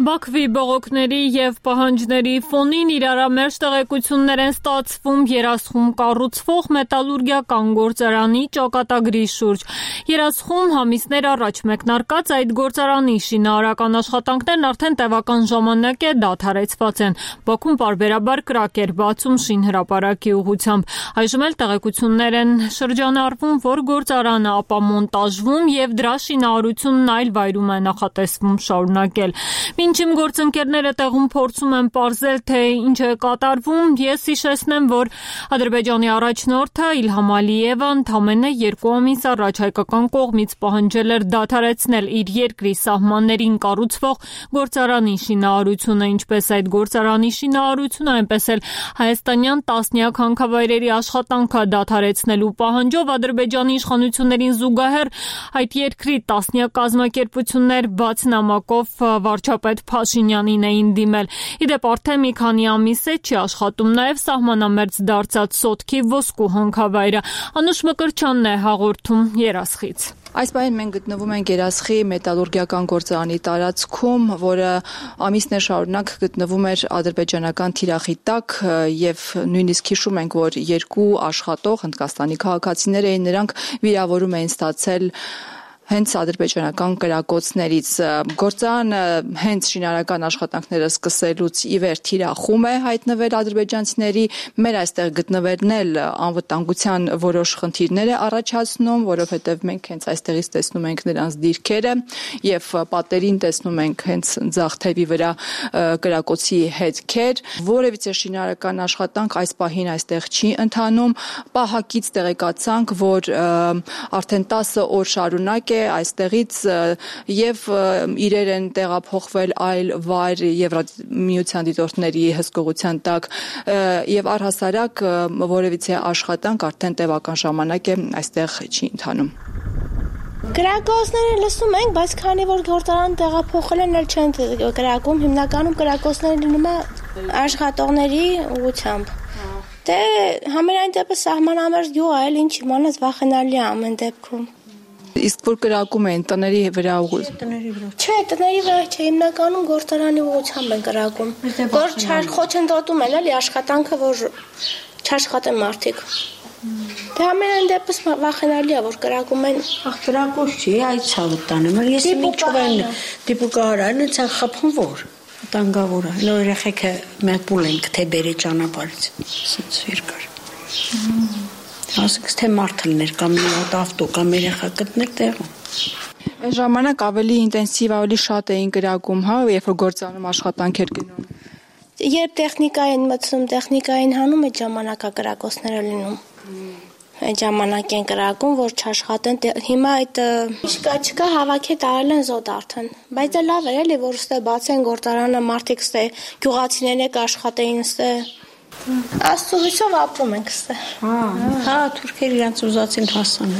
Բաքվի բողոքների եւ պահանջների ֆոնին իրարամերժ տեղեկություններ են ստացվում Երասխում կառուցվող մետալուրգիական գործարանի ճակատագրի շուրջ։ Երասխում ամիսներ առաջ մեկնարկած այդ գործարանի շինարարական աշխատանքներն արդեն տևական ժամանակ է դադարեցված են։ Բաքուն պարբերաբար կրակ էր բացում շինհրապարակի ուղղությամբ։ Այժմ էլ տեղեկություններ են շրջանառվում, որ գործարանը ապամոնտաժվում եւ դրա շինարարությունն այլ վայրում է նախատեսվում շարունակել։ Մինչև գործընկերները տեղում փորձում են պարզել, թե ինչ է կատարվում, ես հիշեցնեմ, որ Ադրբեջանի առաջնորդը Իլհամ Ալիևը ընդամենը երկու ամիս առաջ հայկական կողմից պահանջել էր դադարեցնել իր երկրի սահմաններին կառուցվող գործարանի շինարարությունը, ինչպես այդ գործարանի շինարարությունը, այնպես էլ հայաստանյան տասնյակ հանքավայրերի աշխատանքը դադարեցնելու պահանջով Ադրբեջանի իշխանություններին զուգահեռ այդ երկրի տասնյակ կազմակերպություններ բաց նամակով վարչապետ Փաշինյանին էին դիմել։ Իդեպ արդեն մի քանի ամիս է չի աշխատում նաև սահմանամերձ դարձած Սոտքի ոսկու հանքավայրը։ Անուշ Մկրտչյանն է հաղորդում Երասխից։ Այս պահին մենք գտնվում ենք Երասխի մետալուրգիական գործարանի տարածքում, որը ամիսներ շարունակ գտնվում էր ադրբեջանական թիրախի տակ եւ նույնիսկ հիշում ենք, որ երկու աշխատող հնդկաստանի քաղաքացիներ էին, նրանք վիրավորում էին ստացել հենց ադրբեջանական կրակոցներից։ Գործարանը հենց շինարարական աշխատանքները սկսելուց ի վեր թիրախում է հայտնվել ադրբեջանցիների, մեր այստեղ գտնվելն էլ անվտանգության որոշ խնդիրներ է առաջացնում, որովհետև մենք հենց այստեղից տեսնում ենք նրանց դիրքերը եւ պատերին տեսնում ենք հենց ձախ թևի վրա կրակոցի հետքեր։ Որևիցե շինարարական աշխատանք այս պահին այստեղ չի ընթանում։ Պահակից տեղեկացանք, որ արդեն տասը օր շարունակ այստեղից եւ իրեր են տեղափոխվել այլ վայր Եվրամիության դիտորդների հսկողության տակ եւ առհասարակ որևիցե աշխատանք արդեն տևական ժամանակ է այստեղ չի ընթանում։ Կրակոցները լսում ենք, բայց քանի որ գործարան տեղափոխել են, էլ չեն կրակում, հիմնականում կրակոցները լինում է աշխատողների ուղղությամբ։ Դե համենայն դեպս սահմանամերձ գյուղ է, ինչ իմանաս վախենալի է ամեն դեպքում։ Իսկ որ կրակում են տների վրա ուղղ։ Տների վրա։ Չէ, տների վրա չէ, հիմնականում գործարանի ուղղությամբ են կրակում։ Որ խոչընդոտում են էլի աշխատանքը, որ չաշխատեն մարդիկ։ Դե ամենայն դեպս վախենալի է, որ կրակում են, ախ կրակոց չի, այդ ցավտանում են, ես մի ճուղեն դիպուկարան, ցան խփում որ, տանգավոր է, նոր երեխեքը մենք բուլ ենք թե բերի ճանապարհից, սից երկար։ Ասես թե մարդներ կամ մի հատ ավտո կամ երեխա գտնել տեղում։ Այս ժամանակ ավելի ինտենսիվ, ավելի շատ էին կրակում, հա, երբ որ գործանում աշխատանքեր գնում։ Երբ տեխնիկա են մտցնում, տեխնիկային հանում, այդ ժամանակա կրակոցները լինում։ Այդ ժամանակ են կրակում, որ չաշխատեն, հիմա այդ չկա, չկա հավաքի տարել են զոդ արդեն, բայց դա լավ է, էլի, որ ստե բացեն գործարանը, մարդիկ ստե գյուղացիներն եք աշխատեին ստե, Աստծո հույսով ապրում ենք ստե։ Հա, հա, թուրքեր իրանց ուզածին հասան։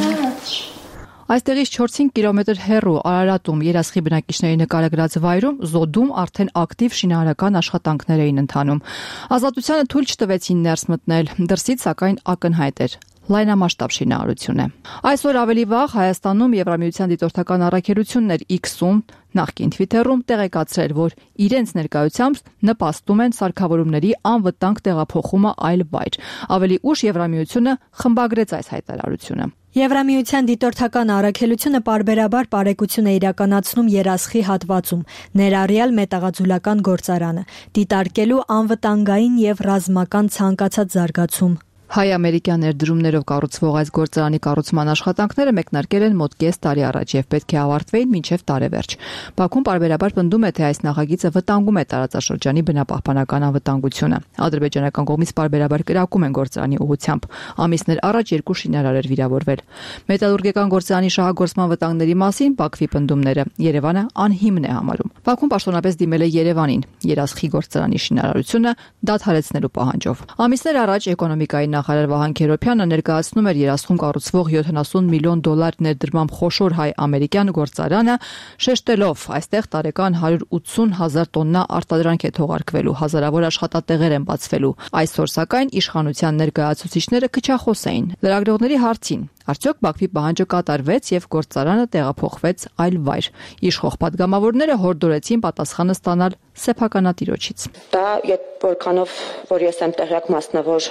Այստեղից չորս-հինգ կիլոմետր հեռու Արարատում երասխի բնակիչների նկարագրած վայրում զոդում արդեն ակտիվ շինարարական աշխատանքներ էին ընթանում։ Ազատությանը թույլ չտվեցին ներս մտնել, դրսից սակայն ակնհայտ էր լայնամասշտաբ շինարարություն է։ Այսօր ավելի վաղ Հայաստանում Եվրամիության դիտորդական առաքելություններ X-ում նախկին Twitter-ում տեղեկացրել, որ իրենց ներկայությամբ նպաստում են սարքավորումների անվտանգ տեղափոխումը այլ վայր։ Ավելի ուշ Եվրամիությունը խմբագրեց այս հայտարարությունը։ Եվրամիության դիտորդական առաքելությունը պարբերաբար բարեկություն է իրականացնում երասխի հատվածում, ներառյալ մետաղաձուլական գործարանը, դիտարկելու անվտանգային եւ ռազմական ցանկացած զարգացում։ Հայ-ամերիկյան ներդրումներով կառուցվող այս գործարանի կառուցման աշխատանքները մեկնարկել են մոտ կես տարի առաջ եւ պետք է ավարտվեին մինչեւ տարեվերջ։ Բաքուն պարբերաբար պնդում է, թե այս նախագիծը վտանգում է տարածաշրջանի բնապահպանական անվտանգությունը։ Ադրբեջանական կողմից պարբերաբար կրակում են գործարանի ուղղությամբ։ Ամիսներ առաջ երկու շինարար էր վիրավորվել։ Մետալուրգիական գործարանի շահագործման վտանգների մասին Բաքվի պնդումները Երևանը անհիմն է համարում։ Բաքուն պաշտոնապես դիմել է Երևանին երասխի գործարանի շինարարությունը դադարեցնելու պահանջով։ Ամիսներ առաջ էկոնոմիկայի նախարար Վահան Քերոբյանը ներկայացնում էր երասխում կառուցվող յոթանասուն միլիոն դոլար ներդրմամբ խոշոր հայ-ամերիկյան գործարանը, շեշտելով, այստեղ տարեկան հարյուր ութսուն հազար տոննա արտադրանք է թողարկվելու, հազարավոր աշխատատեղեր են բացվելու։ Այսօր սակայն իշխանության ներկայացուցիչները քչախոս էին։ Լրագրողների հարցին արդյոք Բաքվի պահանջը կատարվեց եւ գործարանը տեղափոխվեց այլ վայր։ Իշխող падգամավորները հորդորեցին պատասխանը ստանալ սեփականատիրոջից։ Դա որքանով որ ես եմ տեղյակ մասնավոր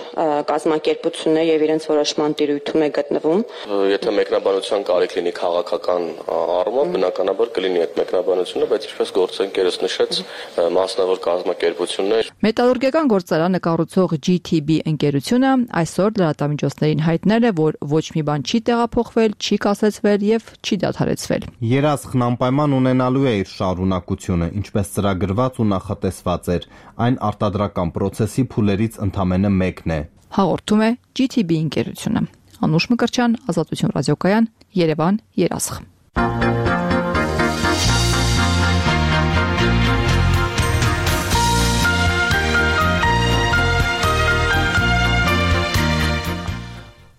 կազմակերպությունն է եւ իրենց որոշման տիրույթում է գտնվում։ Եթե մեկնաբանության կարիք լինի քաղաքական առումով, բնականաբար կլինի այդ մեկնաբանությունը, բայց ինչպես գործընկերս նշեց, մասնավոր կազմակերպությունն է։ Մետալուրգիական գործարանը կառուցող G T B ընկերությունը այսօր լրատվամիջոցներին հայտնել է, որ ոչ մի բան չի տեղափոխվել, չի կասեցվել եւ չի դադարեցվել։ Երասխն անպայման ունենալու է իր շարունակությունը, ինչպես ծրագրված ու նախատեսված էր, այն արտադրական process-ի փուլերից ընդամենը մեկն է։ Հաղորդում է G T B ընկերությունը։ Անուշ Մկրտչյան, Ազատություն ռադիոկայան, Երևան, Երասխ։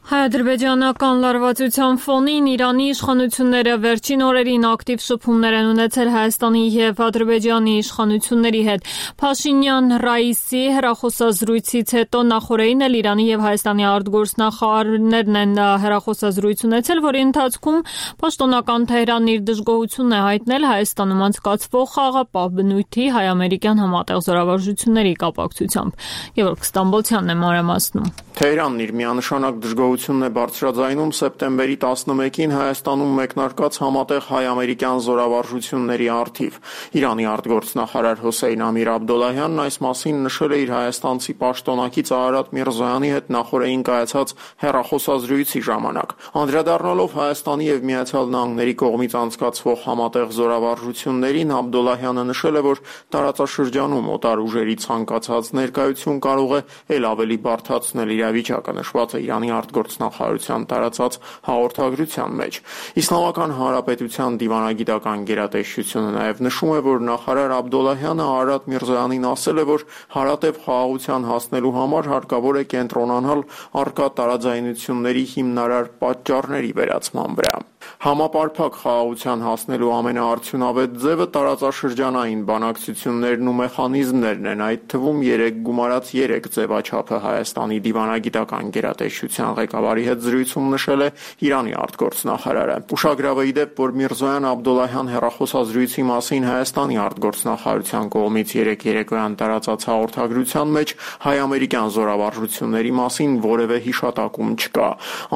Հայ-ադրբեջանական լարվածության ֆոնին Իրանի իշխանությունները վերջին օրերին ակտիվ շփումներ են ունեցել Հայաստանի եւ Ադրբեջանի իշխանությունների հետ։ Փաշինյան-Ռաիսի հեռախոսազրույցից հետո նախորդին էլ Իրանի եւ Հայաստանի արտգործնախարարներն են հեռախոսազրույց ունեցել, որի ընթացքում պաշտոնական Թեհրանն իր դժգոհությունն է հայտնել Հայաստանում անցկացվող խաղաղապահ բնույթի հայ-ամերիկյան համատեղ զորավարժությունների կապակցությամբ։ Գևորգ Ստամբոլցյանն է մանրամասնում։ Թեհրանն իր միանշանակ դժգոհությունն է բարձրաձայնում սեպտեմբերի տասնմեկին Հայաստանում մեկնարկած համատեղ հայ-ամերիկյան զորավարժությունների առթիվ։ Իրանի արտգործնախարար Հոսեյն Ամիր Աբդոլլահյանն այս մասին նշել է իր հայաստանցի պաշտոնակից Արարատ Միրզոյանի հետ նախորդին կայացած հեռախոսազրույցի ժամանակ։ Անդրադառնալով Հայաստանի եւ Միացյալ Նահանգների կողմից անցկացվող համատեղ զորավարժություններին, Աբդոլլահյանը նշել է, որ տարածաշրջանում օտար ուժերի ցանկացած ներկայություն կարող է ել ավելի բարդացնել իրավիճակը, նշված է Իրանի արտգործնախարարության տարածած հաղորդագրության մեջ։ Իսլամական Հանրապետության դիվանագիտական գերատեսչությունը նաև նշում է, որ նախարար Աբդոլլահյանը Արարատ Միրզոյանին ասել է, որ հարատև խաղաղության հասնելու համար հարկավոր է կենտրոնանալ առկա տարաձայնությունների հիմնարար պատճառների վերացման վրա։ Համապարփակ խաղաղության հասնելու ամենաարդյունավետ ձևը տարածաշրջանային բանակցություններն ու մեխանիզմներն են, այդ թվում երեք գումարած երեք ձևաչափը Հայաստանի դիվանագիտական գերատեսչության ղեկավար նախարարի հետ զրույցում նշել է Իրանի արտգործնախարարը։ Ուշագրավ է ի դեպ, որ Միրզոյան Աբդոլլահյան հեռախոսազրույցի մասին Հայաստանի արտգործնախարարության կողմից երեկ երեկոյան տարածած հաղորդագրության մեջ հայ-ամերիկյան զորավարժությունների մասին որևէ հիշատակում չկա։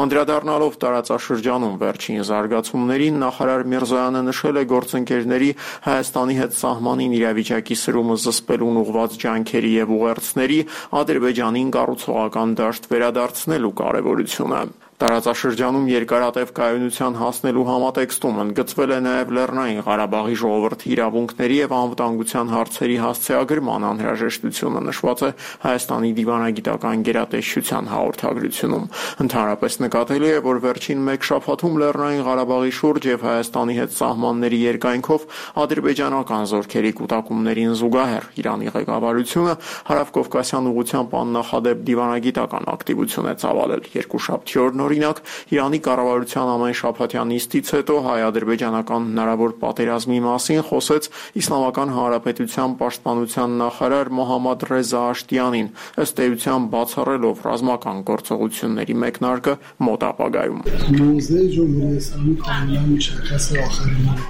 Անդրադառնալով տարածաշրջանում վերջին զարգացումներին, նախարար Միրզոյանը նշել է գործընկերների Հայաստանի հետ սահմանին իրավիճակի սրումը զսպելուն ուղղված ջանքերի եւ ուղերձների Ադրբեջանին կառուցողական դաշտ վերադարձնելու կարեւորությունը։ Տարածաշրջանում երկարատև կայունության հասնելու համատեքստում ընդգծվել է նաև Լեռնային Ղարաբաղի ժողովրդի իրավունքների եւ անվտանգության հարցերի հասցեագրման անհրաժեշտությունը նշված է Հայաստանի դիվանագիտական գերատեսչության հաղորդագրությունում։ Ընդհանրապես նկատելի է, որ վերջին մեկ շաբաթում Լեռնային Ղարաբաղի շուրջ եւ Հայաստանի հետ սահմանների երկայնքով ադրբեջանական զորքերի կուտակումներին զուգահեռ Իրանի ղեկավարությունը հարավկովկասյան ուղղությամբ աննախադեպ դիվանագիտական ակտիվություն է ծավալել։ Երկուշաբթի օրն Օրինակ, Իրանի կառավարության ամեն շաբաթյան նիստից հետո հայ-ադրբեջանական հնարավոր պատերազմի մասին խոսեց Իսլամական Հանրապետության պաշտպանության նախարար Մոհամմադ Ռեզա Աշտյանին, ըստ էության բացառելով ռազմական գործողությունների մեկնարկը մոտ ապագայում։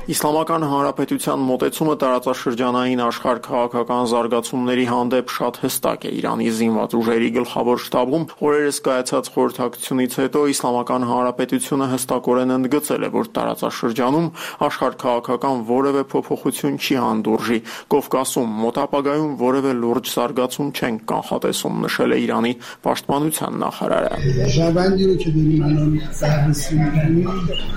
Իսլամական Հանրապետության մոտեցումը տարածաշրջանային աշխարհ քաղաքական զարգացումների հանդեպ շատ հստակ է։ Իրանի զինված ուժերի գլխավոր շտաբում օրերս կայացած խորհրդակցությունից հետո Իսլամական Հանրապետությունը հստակորեն ընդգծել է, որ տարածաշրջանում աշխարհքաղաքական որևէ փոփոխություն չի հանդուրժի, Կովկասում մոտ ապագայում որևէ լուրջ զարգացում չենք կանխատեսում, նշել է Իրանի պաշտպանության նախարարը։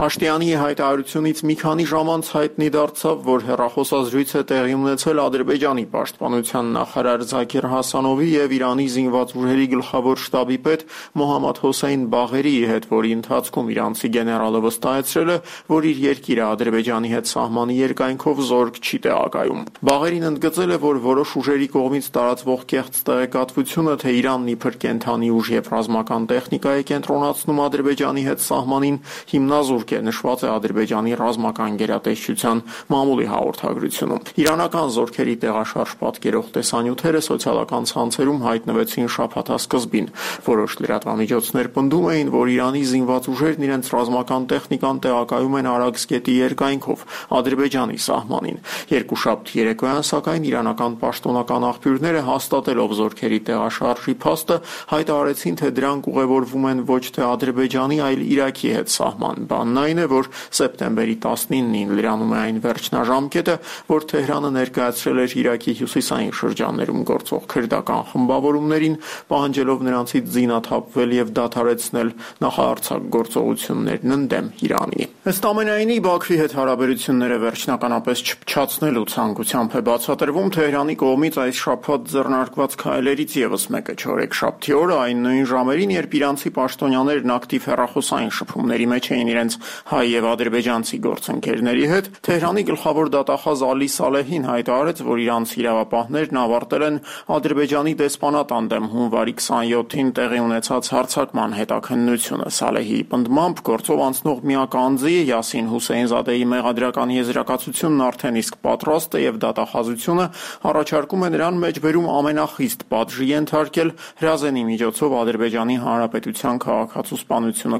Աշտյանի հայտարարությունից մի քանի ժամ անց հայտնի դարձավ, որ հեռախոսազրույց է տեղի ունեցել Ադրբեջանի պաշտպանության նախարար Զաքիր Հասանովի եւ Իրանի զինված ուժերի գլխավոր շտաբի պետ Մոհամմադ Հոսեյն Բաղերի հետ, որի ընթացքում իրանցի գեներալը վստահեցրել է, որ իր երկիրը Ադրբեջանի հետ սահմանի երկայնքով զորք չի տեղակայում։ Բաղերին ընդգծել է, որ որոշ ուժերի կողմից տարածվող կեղծ տեղեկատվությունը, թե Իրանն իբր կենթանի ուժ եւ ռազմական տեխնիկա է կենտրոնացնում Ադրբեջանի հետ սահմանին, հիմնազուրկ է, նշված է Ադրբեջանի ռազմական գերատեսչության մամուլի հաղորդագրությունում։ Իրանական զորքերի տեղաշարժ պատկերող տեսանյութերը սոցիալական ցանցերում հայտնվեցին շաբաթասկզբին։ Որոշ լրատվամիջոցներ պնդում էին, որ Իրանի զինված ուժերն իրենց ռազմական տեխնիկան տեղակայում են Արաքսգետի երկայնքով Ադրբեջանի սահմանին։ Երկուշաբթի երեկոյան, սակայն իրանական պաշտոնական աղբյուրները հաստատելով զորքերի տեղաշարժի փաստը հայտարարեցին, թե դրանք ուղևորվում են ոչ թե Ադրբեջանի, այլ Իրաքի հետ սահման։ Բանն այն է, որ սեպտեմբերի տասնինին լրանում է այն վերջնաժամկետը, որ Թեհրանը ներկայացրել էր Իրաքի հյուսիսային շրջաններում գործող քրդական խմբավորումներին, պահանջելով նրանցից զինաթափվել եւ դադարեցնել նախարարցակ գործողություններն ընդդեմ Իրանի։ Ըստ ամենայնի, Բաքվի հետ հարաբերությունները վերջնականապես չփչացնելու ցանկությամբ է բացատրվում Թեհրանի կողմից այս շաբաթ ձեռնարկված քայլերից եւս մեկը չորեքշաբթի օրը, այն նույն ժամերին, երբ իրանցի պաշտոնյաներն ակտիվ հեռախոսային շփումների մեջ էին իրենց հայ եւ ադրբեջանցի գործընկերների հետ, Թեհրանի գլխավոր դատախազ Ալի Սալեհին հայտարարեց, որ իրանցի իրավապահներն ավարտել են Ադրբեջանի դեսպանատան դեմ հունվարի քսանյոթին տեղի ունեցած հարձակման հետաքննությունը։ Սալեհի պնդմամբ գործով անցնող միակ անձի Յասին Հուսեյնզադեի մեղադրական եզրակացությունն արդեն իսկ պատրաստ է եւ դատախազությունը առաջարկում է նրան մեջբերում ամենախիստ պատժի ենթարկել հրազենի միջոցով Ադրբեջանի Հանրապետության քաղաքացու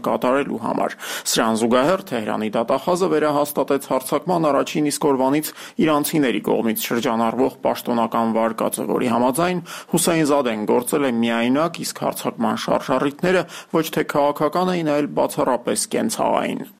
կատարելու համար։ Սրան զուգահեռ Թեհրանի դատախազը վերահաստատեց հարձակման առաջին իսկ օրվանից իրանցիների կողմից շրջանառվող պաշտոնական վարկածը, որի համաձայն Հուսեյնզադեն գործել է միայնակ, իսկ հարձակման շարժառիթները ոչ թե քաղաքական էին, այլ բացառապես կենցաղային։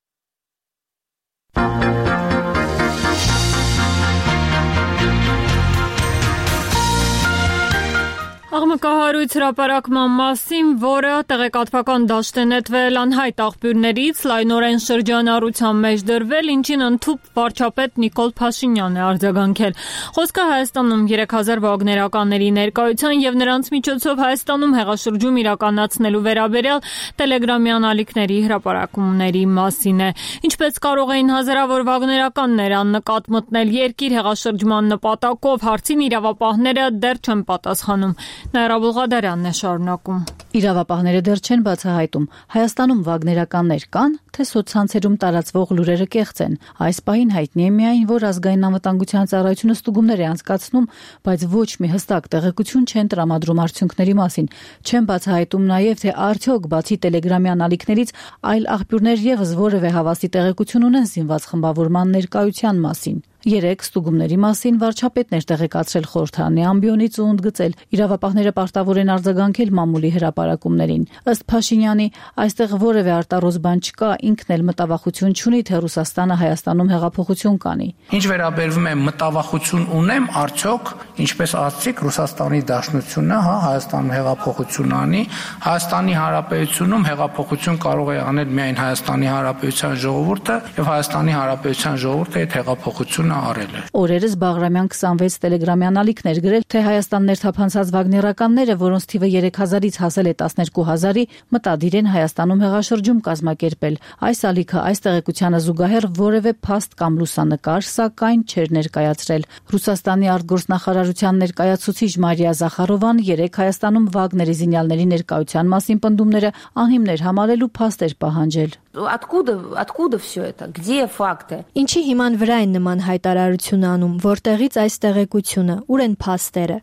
Աղմկահարույց հրապարակման մասին, որը տեղեկատվական դաշտ է նետվել անհայտ աղբյուրներից, լայնորեն շրջանառության մեջ դրվել, ինչին ընդհուպ վարչապետ Նիկոլ Փաշինյանն է արձագանքել։ Խոսքը Հայաստանում երեք հազար վագներականների ներկայության եւ նրանց միջոցով Հայաստանում հեղաշրջում իրականացնելու վերաբերյալ տելեգրամյան ալիքների հրապարակումների մասին է։ Ինչպես կարող էին հազարավոր վագներականներ աննկատ մտնել երկիր հեղաշրջման նպատակով, հարցին իրավապահները դեռ չեն պատասխանում։ Նաիրա Բուղադարյանն է շարունակում։ Իրավապահները դեռ չեն բացահայտում Հայաստանում վագներականներ կան, թե սոցցանցերում տարածվող լուրերը կեղծ են։ Այս պահին հայտնի է միայն, որ ազգային անվտանգության ծառայությունը ստուգումներ է անցկացնում, բայց ոչ մի հստակ տեղեկություն չեն տրամադրում արդյունքների մասին։ Չեն բացահայտում նաև, թե արդյոք բացի տելեգրամյան ալիքներից այլ աղբյուրներ եւս որևէ հավաստի տեղեկություն ունեն զինված խմբավորման ներկայության մասին։ Երեք ստուգումների մասին վարչապետն էր տեղեկացրել խորհրդարանի ամբիոնից ու ընդգծել իրավապահները պարտավոր են արձագանքել մամուլի հրապարակումներին։ Ըստ Փաշինյանի, այստեղ որևէ արտարոց բան չկա, ինքն էլ մտավախություն չունի, թե Ռուսաստանը Հայաստանում հեղափոխություն կանի։ Ինչ վերաբերվում է մտավախություն ունեմ, արդյոք, ինչպես ասացիք, Ռուսաստանի Դաշնությունը, հա, Հայաստանում հեղափոխություն անի, Հայաստանի Հանրապետությունում հեղափոխություն կարող է անել միայն Հայաստանի Հանրապետության ժողովուրդը եւ Հայաստանի Հանրապետության ժողովուրդը այդ հեղափոխությունը արել է։ Օրերս Բաղրամյան քսանվեց տելեգրամյան ալիքներ գրել, թե Հայաստան ներթափանցած վագներականները, որոնց թիվը երեք հազարից հասել է տասներկու հազարի, մտադիր են Հայաստանում հեղաշրջում կազմակերպել։ Այս ալիքը այս տեղեկությանը զուգահեռ որևէ փաստ կամ լուսանկար, սակայն չէր ներկայացրել։ Ռուսաստանի արտգործնախարարության ներկայացուցիչ Մարիա Զախարովան երեք Հայաստանում վագների զինյալների ներկայության մասին պնդումները անհիմներ համարելու փաստ էր պահանջել։ Откуда, откуда все это? Где факты? Ինչի հիման վրա են նման հայտարարություն անում, որտեղից այս տեղեկությունը, ուր են փաստերը։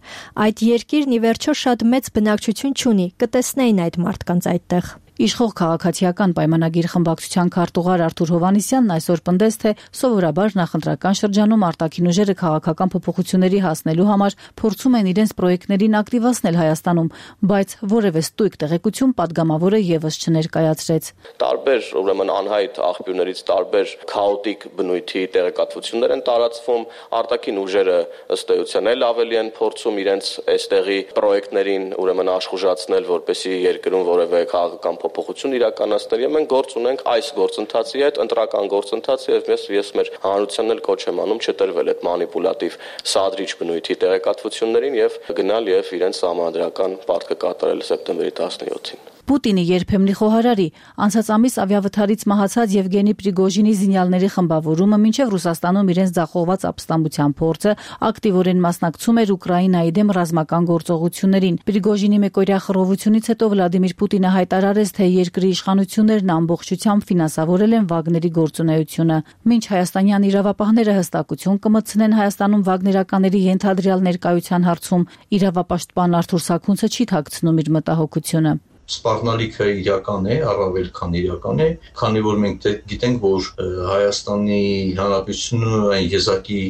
Այդ երկիրն ի վերջո շատ մեծ բնակչություն չունի, կտեսնեին այդ մարդկանց այդտեղ։ Իշխող քաղաքացիական պայմանագիր խմբակցության քարտուղար Արթուր Հովհաննիսյանն այսօր պնդեց, թե սովորաբար նախընտրական շրջանում արտաքին ուժերը քաղաքական փոփոխությունների հասնելու համար փորձում են իրենց պրոյեկտներին ակտիվացնել Հայաստանում, բայց որևէ ստույգ տեղեկություն падգամավորը եւս չներկայացրեց։ Տարբեր, ուրեմն անհայտ աղբյուրներից տարբեր քաոտիկ բնույթի տեղեկատվություններ են տարածվում, արտաքին ուժերը ըստ էության էլ ավելի են փորձում իրենց այստեղի պրոյեկտներին ուրեմն աշխուժացնել, որպեսզի երկրում որևէ քաղաքական փոփոխություն իրականացնել, եւ մենք գործ ունենք այս գործընթացի հետ, ընտրական գործընթացի, եւ ես ես մեր հանրությանն էլ կոչ եմ անում չտրվել այդ մանիպուլատիվ սադրիչ բնույթի տեղեկատվություններին եւ գնալ եւ իրենց համանդրական պարտքը կատարել սեպտեմբերի տասնյոթին։ Պուտինի երբեմնի խոհարարի անցած ամիս ավիավթարից մահացած Եվգենի Պրիգոժինի զինյալների խմբավորումը մինչև Ռուսաստանում իրենց ձախողված ապստամբության փորձը ակտիվորեն մասնակցում էր Ուկրաինայի դեմ ռազմական գործողություններին։ Պրիգոժինի մեկօրյա խռովությունից հետո Վլադիմիր Պուտինը հայտարարեց, թե երկրի իշխանություններն ամբողջությամբ ֆինանսավորել են վագների գործունեությունը։ Մինչ հայաստանյան իրավապահները հստակություն կմտցնեն Հայաստանում վագներականների ենթադրյալ ներկայության հարցում, իրավապաշտպան Արթուր Սաքունցը չի թաքցնում իր մտահոգությունը։ Սպառնալիքը իրական է, առավել քան իրական է, քանի որ մենք գիտենք, որ Հայաստանի Հանրապետությունը այն եզակի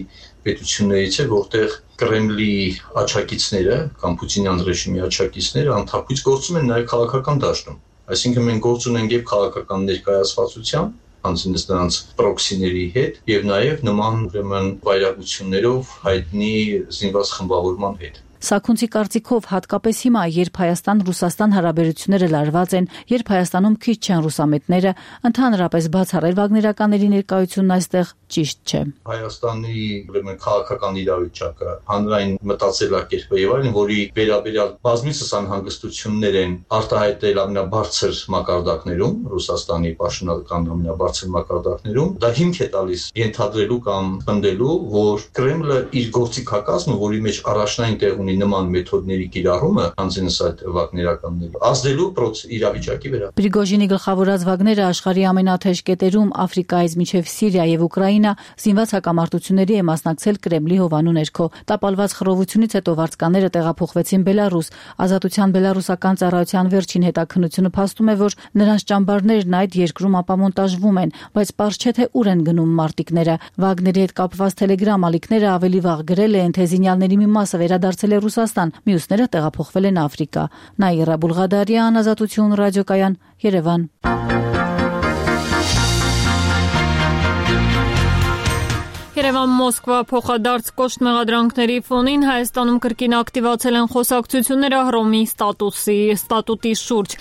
պետություններից է, որտեղ Կրեմլի աչակիցները կամ Պուտինյան ռեժիմի աչակիցները անթափույց գործում են նաև քաղաքական դաշտում։ Այսինքն մենք գործ ունենք եւ քաղաքական ներկայացվածության, անցնես նրանց պրոքսիների հետ եւ նաեւ նման ուրեմն վայրագություններով հայտնի զինված խմբավորման հետ։ Սաքունցի կարծիքով հատկապես հիմա, երբ Հայաստան-Ռուսաստան հարաբերությունները լարված են, երբ Հայաստանում քիչ չեն ռուսամետները, ընդհանրապես բացառել վագներականների ներկայությունն այստեղ ճիշտ չէ։ Հայաստանի ուրեմն քաղաքական իրավիճակը, հանրային մտածելակերպը եւ այլն, որի վերաբերյալ բազմիցս անհանգստություններ են արտահայտել ամենաբարձր մակարդակներում, Ռուսաստանի պաշտոնական ամենաբարձր մակարդակներում, դա հիմք է տալիս ենթադրելու կամ պնդելու, որ Կրեմլը իր գործիքակազմը, որի մեջ առաջնային տեղ նման մեթոդների կիրառումը անձնես այդ վագներականների ազդելու իրավիճակի վրա։ Պրիգոժինի գլխավորած վագները աշխարհի ամենաթեժ կետերում Աֆրիկայից մինչև Սիրիա եւ Ուկրաինա զինված հակամարտությունների է մասնակցել Կրեմլի հովանու ներքո։ Տապալված խռովությունից հետո վարձկանները տեղափոխվեցին Բելարուս։ Ազատության բելարուսական ծառայության վերջին հետաքննությունը փաստում է, որ նրանց ճամբարներն այդ երկրում ապամոնտաժվում են, բայց պարզ չէ թե ուր են գնում մարտիկները։ Վագների հետ կապված Telegram ալիքները ավելի վաղ գրել են, թե զինյալների մի մասը վերադարձել է Ռուսաստան, մյուսները տեղափոխվել են Աֆրիկա։ Նաիրա Բուլղադարյան, Ազատություն ռադիոկայան, Երևան։ Երևան-Մոսկվա փոխադարձ կոշտ մեղադրանքների ֆոնին Հայաստանում կրկին ակտիվացել են խոսակցությունները Հռոմի ստատուսի ստատուտի շուրջ։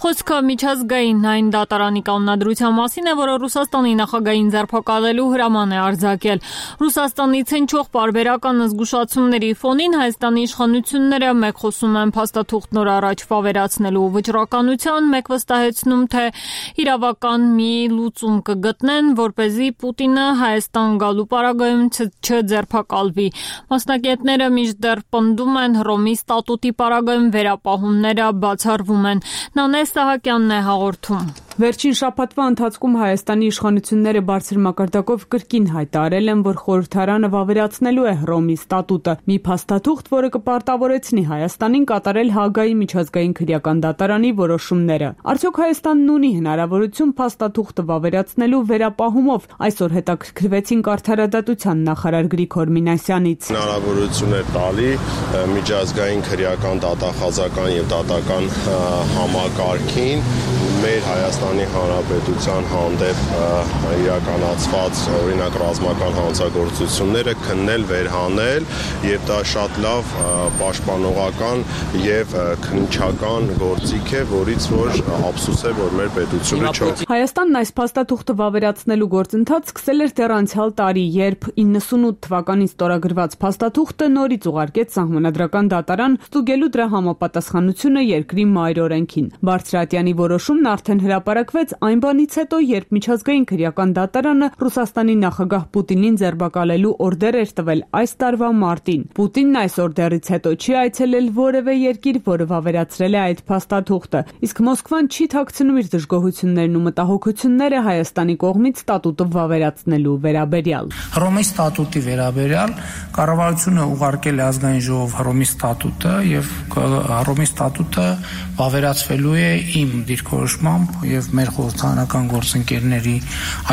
Խոսքը միջազգային այն դատարանի կանոնադրության մասին է, որը Ռուսաստանի նախագահին ձերբակալելու հրաման է արձակել։ Ռուսաստանից հնչող պարբերական զգուշացումների ֆոնին Հայաստանի իշխանությունները մեկ խոսում են փաստաթուղթ նոր առաջ վավերացնելու վճռականության, մեկ վստահեցնում, թե իրավական մի լուծում կգտնեն, որպեսզի Պուտինը Հայաստան գալու պարագայում չձերբակալվի։ Մասնագետները մինչդեռ պնդում են Հռոմի ստատուտի պարագայում վերապահումները բացառվում են։ Նանե Սահակյանն է հաղորդում։ Վերջին շաբաթվա ընթացքում Հայաստանի իշխանությունները բարձր մակարդակով կրկին հայտարարել են, որ խորհրդարանը վավերացնելու է Հռոմի ստատուտը, մի փաստաթուղթ, որը կպարտավորեցնի Հայաստանին կատարել Հաագայի միջազգային քրեական դատարանի որոշումները։ Արդյոք Հայաստանն ունի հնարավորություն փաստաթուղթը վավերացնելու վերապահումով, այսօր հետաքրքրվեցինք Արդարադատության նախարար Գրիգոր Մինասյանից։ Հնարավորություն է տալի միջազգային քրեական դատախազական եւ դատական համակարգին մեր Հայաստանի Հանրապետության հանդեպ իրականացված օրինակ ռազմական հանցագործությունները քննել, վերհանել եւ դա շատ լավ պաշտպանողական եւ քննչական գործիք է, որից որ ափսոս է, որ մեր պետությունը չէ։ Հայաստանն այս փաստաթուղթը վավերացնելու գործընթաց սկսել էր դեռ անցյալ տարի, երբ իննսունութ թվականին ստորագրված փաստաթուղթը նորից ուղարկեց Սահմանադրական դատարան ստուգելու դրա համապատասխանությունը երկրի մայր օրենքին։ Բարձրատյանի որոշումն արդեն հրապարակվեց այն բանից հետո, երբ միջազգային քրեական դատարանը Ռուսաստանի նախագահ Պուտինին ձերբակալելու օրդեր էր տվել այս տարվա մարտին։ Պուտինն այս օրդերից հետո չի այցելել որևէ երկիր, որը վավերացրել է այդ փաստաթուղթը, իսկ Մոսկվան չի թաքցնում իր դժգոհություններն ու մտահոգությունները Հայաստանի կողմից ստատուտը վավերացնելու վերաբերյալ։ Հռոմի ստատուտի վերաբերյալ կառավարությունը ուղարկել է ազգային ժողով Հռոմի ստատուտը եւ Հռոմի ստատուտը վավերացվելու է իմ դիրքորոշմամբ եւ մեր խորհրդարանական գործընկերների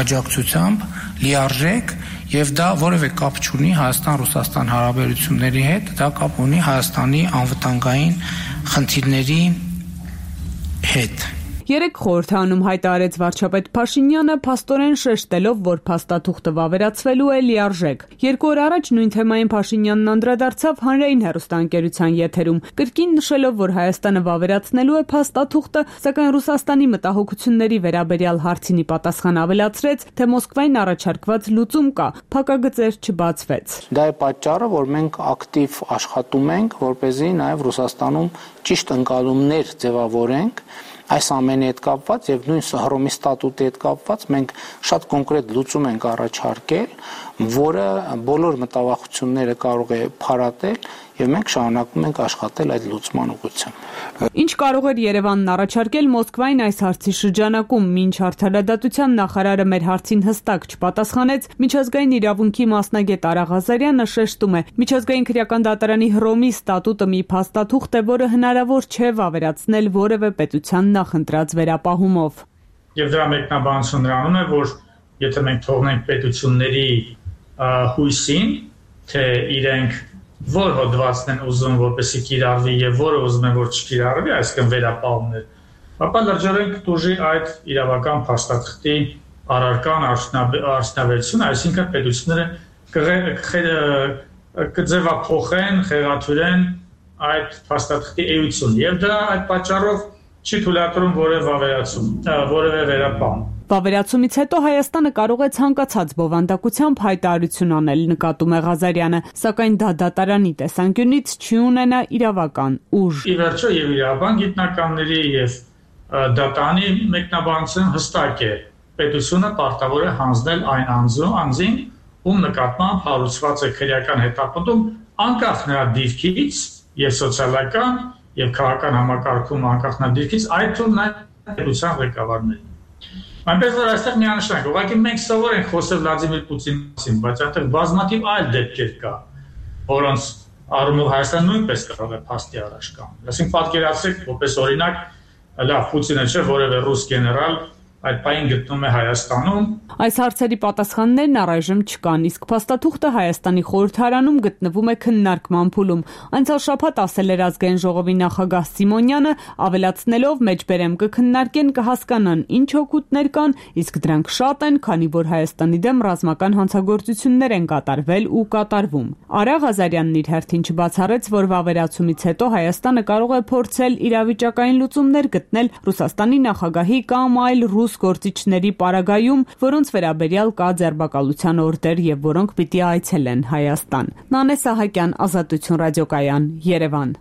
աջակցությամբ լիարժեք եւ դա որևէ կապ չունի Հայաստան-Ռուսաստան հարաբերությունների հետ, դա կապ ունի Հայաստանի անվտանգային խնդիրների հետ։ Երեք խորհրդանում հայտարարեց վարչապետ Փաշինյանը, փաստորեն շեշտելով, որ փաստաթուղթը վավերացվելու է լիարժեք։ Երկու օր առաջ նույն թեմային Փաշինյանն անդրադարձավ հանրային հեռուստաընկերության եթերում, կրկին նշելով, որ Հայաստանը վավերացնելու է փաստաթուղթը, սակայն Ռուսաստանի մտահոգությունների վերաբերյալ հարցինի պատասխան ավելացրեց, թե Մոսկվային առաջարկված լուծում կա, փակագծեր չբացվեց։ Դա է պատճառը, որ մենք ակտիվ աշխատում ենք, որպեսզի նաև Ռուսաստանում ճիշտ ընկալումներ ձևավորենք այս ամենի հետ կապված եւ նույն Հռոմի ստատուտի հետ կապված մենք շատ կոնկրետ լուծում ենք առաջարկել, որը բոլոր մտավախությունները կարող է փարատել եւ մենք շարունակում ենք աշխատել այդ լուծման ուղղությամբ։ Ինչ կարող էր Երևանն առաջարկել Մոսկվային այս հարցի շրջանակում, մինչ Արդարադատության նախարարը մեր հարցին հստակ չպատասխանեց, միջազգային իրավունքի մասնագետ Արա Ղազարյանը շեշտում է, միջազգային քրեական դատարանի Հռոմի ստատուտը մի փաստաթուղթ է, որը հնարավոր չէ վավերացնել որևէ պետության նախընտրած վերապահումով։ Եվ դրա մեկնաբանությունն նրանում է, որ եթե մենք թողնենք պետությունների հույսին, թե իրենք որ հոդվածն են ուզում, որպեսզի կիրառվի եւ որը ուզում են, որ չկիրառվի, այսինքն վերապահումներ, ապա լրջորեն կտուժի այդ իրավական փաստաթղթի առարկան արդյունավետությունը, այսինքն պետությունները կձևափոխեն, խեղաթյուրեն այդ փաստաթղթի էությունը եւ դա այդ պատճառով չի թույլատրում որևէ վավերացում, որևէ վերապահում։ Վավերացումից հետո Հայաստանը կարող է ցանկացած բովանդակությամբ հայտարարություն անել, նկատում է Ղազարյանը, սակայն դա դատարանի տեսանկյունից չի ունենա իրավական ուժ։ Ի վերջո եւ իրավական գիտնականների եւ դատարանի մեկնաբանությունը հստակ է։ Պետությունը պարտավոր է հանձնել այն անձու անձին, ում նկատմամբ հարուցված է քրեական հետապնդում, անկախ նրա դիրքից եւ սոցիալական եւ քաղաքական համակարգում անկախ նրա դիրքից, այդ թվում նաեւ պետության ղեկավարներին։ Այնպես որ այստեղ միանշանակ, ուղղակի մենք սովոր ենք խոսել Վլադիմիր Պուտինի մասին, բայց այնտեղ բազմաթիվ այլ դեպքեր կա, որոնց առումով Հայաստանը նույնպես կարող է փաստի առաջ կանգնել։ Այսինքն պատկերացրեք, որպես օրինակ, լավ, Պուտինը չէ, որևէ ռուս գեներալ այդ պայն գտնում է Հայաստանում։ Այս հարցերի պատասխաններն առայժմ չկան, իսկ փաստաթուղթը Հայաստանի խորհրդարանում գտնվում է քննարկման փուլում։ Անցյալ շաբաթ ասել էր ազգային ժողովի նախագահ Սիմոնյանը, ավելացնելով մեջբերեմ կքննարկեն, կհասկանան ինչ օգուտներ կան, իսկ դրանք շատ են, քանի որ Հայաստանի դեմ ռազմական հանցագործություններ են կատարվել ու կատարվում։ Արա Ղազարյանն իր հերթին չբացառեց, որ վավերացումից հետո Հայաստանը կարող է փորձել իրավիճակային լուծումներ գտնել Ռուսաստանի նախագահի կամ այլ ռուս գործիչների պարագայում, որոնց վերաբերյալ կա ձերբակալության օրդեր եւ որոնք պիտի այցելեն Հայաստան։ Նանե Սահակյան, Ազատություն ռադիոկայան, Երևան։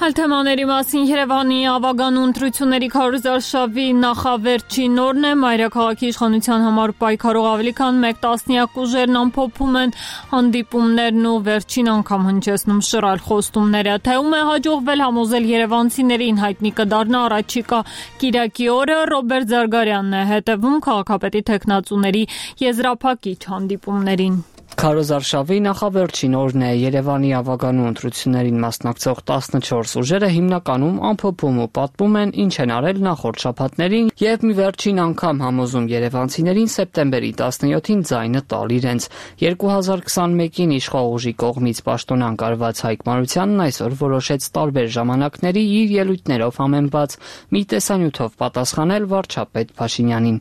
Այլ թեմաների մասին Երևանի ավագանու ընտրությունների քարոզարշավի նախավերջին օրն է, մայրաքաղաքի իշխանության համար պայքարող ավելի քան մեկ տասնյակ ուժերն ամփոփում են հանդիպումներն ու վերջին անգամ հնչեցնում շռայլ խոստումները, թե ում է հաջողվել համոզել երևանցիներին հայտնի կդառնա առաջիկա կիրակի օրը, Ռոբերտ Զարգարյանն է հետևում քաղաքապետի թեկնածուների եզրափակիչ հանդիպումներին։ Քարոզարշավի նախավերջին օրն է, Երևանի ավագանու ընտրություններին մասնակցող տասնչորս ուժերը հիմնականում ամփոփում ու պատմում են ինչ են արել նախորդ շաբաթներին եւ մի վերջին անգամ համոզում երևանցիներին սեպտեմբերի տասնյոթին ձայնը տալ իրենց։ երկու հազար քսանմեկին իշխող ուժի կողմից պաշտոնանկ արված Հայկ Մարությանն այսօր որոշեց տարբեր ժամանակների իր ելույթներով համեմված մի տեսանյութով պատասխանել վարչապետ Փաշինյանին։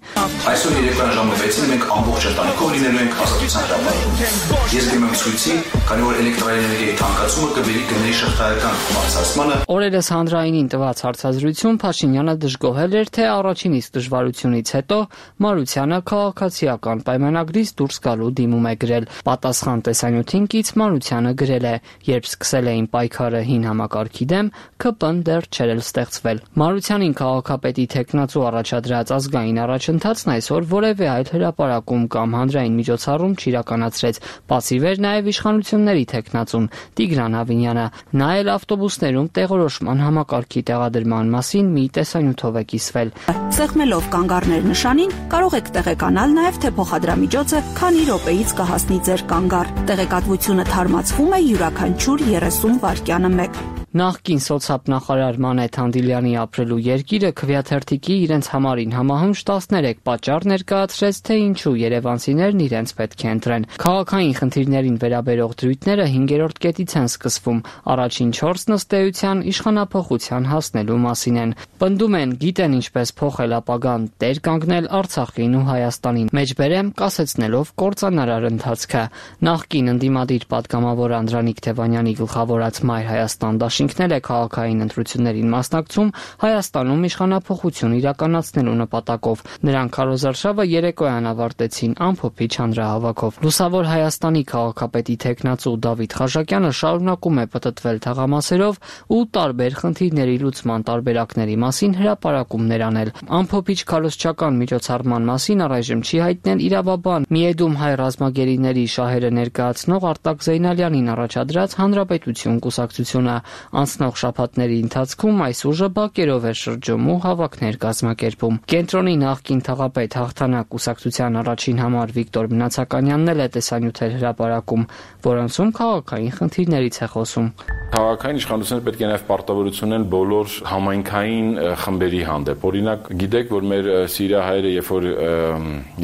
Այսօր երեկոյան ժամը վեցին մենք ամբողջ ընտանիքով լինելու ենք Ազատության հրապարակում։ Ես գնում եմ ցույցի, քանի որ էլեկտրաէներգիայի թանկացումը կբերի գների շղթայական բարձրացմանը։ Օրերս հանրայինին տված հարցազրույցում Փաշինյանը դժգոհել էր, թե առաջին իսկ դժվարությունից հետո Մարությանը քաղաքացիական պայմանագրից դուրս գալու դիմում է գրել։ Պատասխան տեսանյութին կից Մարությանը գրել է. «Երբ սկսել էին պայքարը հին համակարգի դեմ, ՔՊ-ն դեռ չէր էլ ստեղծվել»։ Մարությանին քաղաքապետի թեկնածու առաջադրած ազգային առաջընթացն այսօր որևէ այլ հրապարակում կամ հանրային միջոցառում չիրականացրեց։ Պասիվ էր նաև իշխանությունների թեկնածուն Տիգրան Ավինյանը։ Նա էլ ավտոբուսներում տեղորոշման համակարգի տեղադրման մասին մի տեսանյութով է կիսվել։ Սեղմելով կանգառներ նշանին կարող եք տեղեկանալ նաև, թե փոխադրամիջոցը քանի րոպեից կհասնի ձեր կանգառ։ Տեղեկատվությունը թարմացվում է յուրաքանչյուր երեսուն վայրկյանը մեկ։ Նախկին սոցիալ-նախարար Մանեթ Հանդիլյանի ապրելու երկիրը քվեաթերթիկի իրենց համարին համահունչ տասներեք պատճառ ներկայացրեց, թե ինչու երևանցիներն իրենց պետք է ընտրեն։ Քաղաքային խնդիրներին վերաբերող դրույթները հինգերորդ կետից են սկսվում։ Առաջին չորսն ըստ էության իշխանափոխության հասնելու մասին են։ Պնդում են, գիտեն ինչպես փոխել ապագան, տեր կանգնել Արցախին ու Հայաստանին։ Մեջբերեմ կասեցնելով կործանարար ընթացքը։ Նախկին ընդդիմադիր պատգամավոր Անդրանիկ Թևանյանի գլխավորած Մայր Հայաստան դաշինքն է քաղաքային ընտրություններին մասնակցում Հայաստանում իշխանափոխություն իրականացնելու նպատակով։ Նրանք քարոզարշավը երեկոյան ավարտեցին ամփոփիչ հանրահավաքով։ Լուսավոր Հայաստանի քաղաքապետի թեկնածու Դավիթ Խաչակյանը շարունակում է պտտվել թաղամասերով ու տարբեր խնդիրների լուծման տարբերակների մասին հրապարակումներ անել։ Ամփոփիչ քարոզչական միջոցառման մասին առայժմ չի հայտնել իրավաբան Միեդում հայ ռազմագերիների շահերը ներկայացնող Արտակ Զեյնալյանին առաջադրած Հանրապետություն կուսակցությունը։ Անցնող շաբաթների ընթացքում այս ուժը բակերով է շրջում ու հավաքներ կազմակերպում։ Կենտրոնի նախկին թաղապետ Հաղթանակ կուսակցության առաջին համար Վիկտոր Մնացականյանն էլ է տեսանյութեր հրապարակում, որոնցում քաղաքային խնդիրներից է խոսում։ Քաղաքային իշխանությունները պետք է նաև պարտավորություն ունեն բոլոր համայնքային խմբերի հանդեպ։ Օրինակ, գիտեք, որ մեր սիրահայերը, երբ որ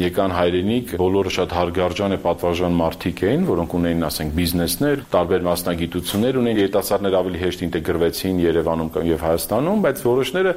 եկան հայրենիք, բոլորը շատ հարգարժան է պատվարժան մարդիկ էին, որոնք ունեին, ասենք, բիզնեսներ, տարբեր մասնագիտություններ ունեին, երիտասարդներ ավելի հեշտ ինտեգրվեցին Երևանում եւ Հայաստանում, բայց որոշները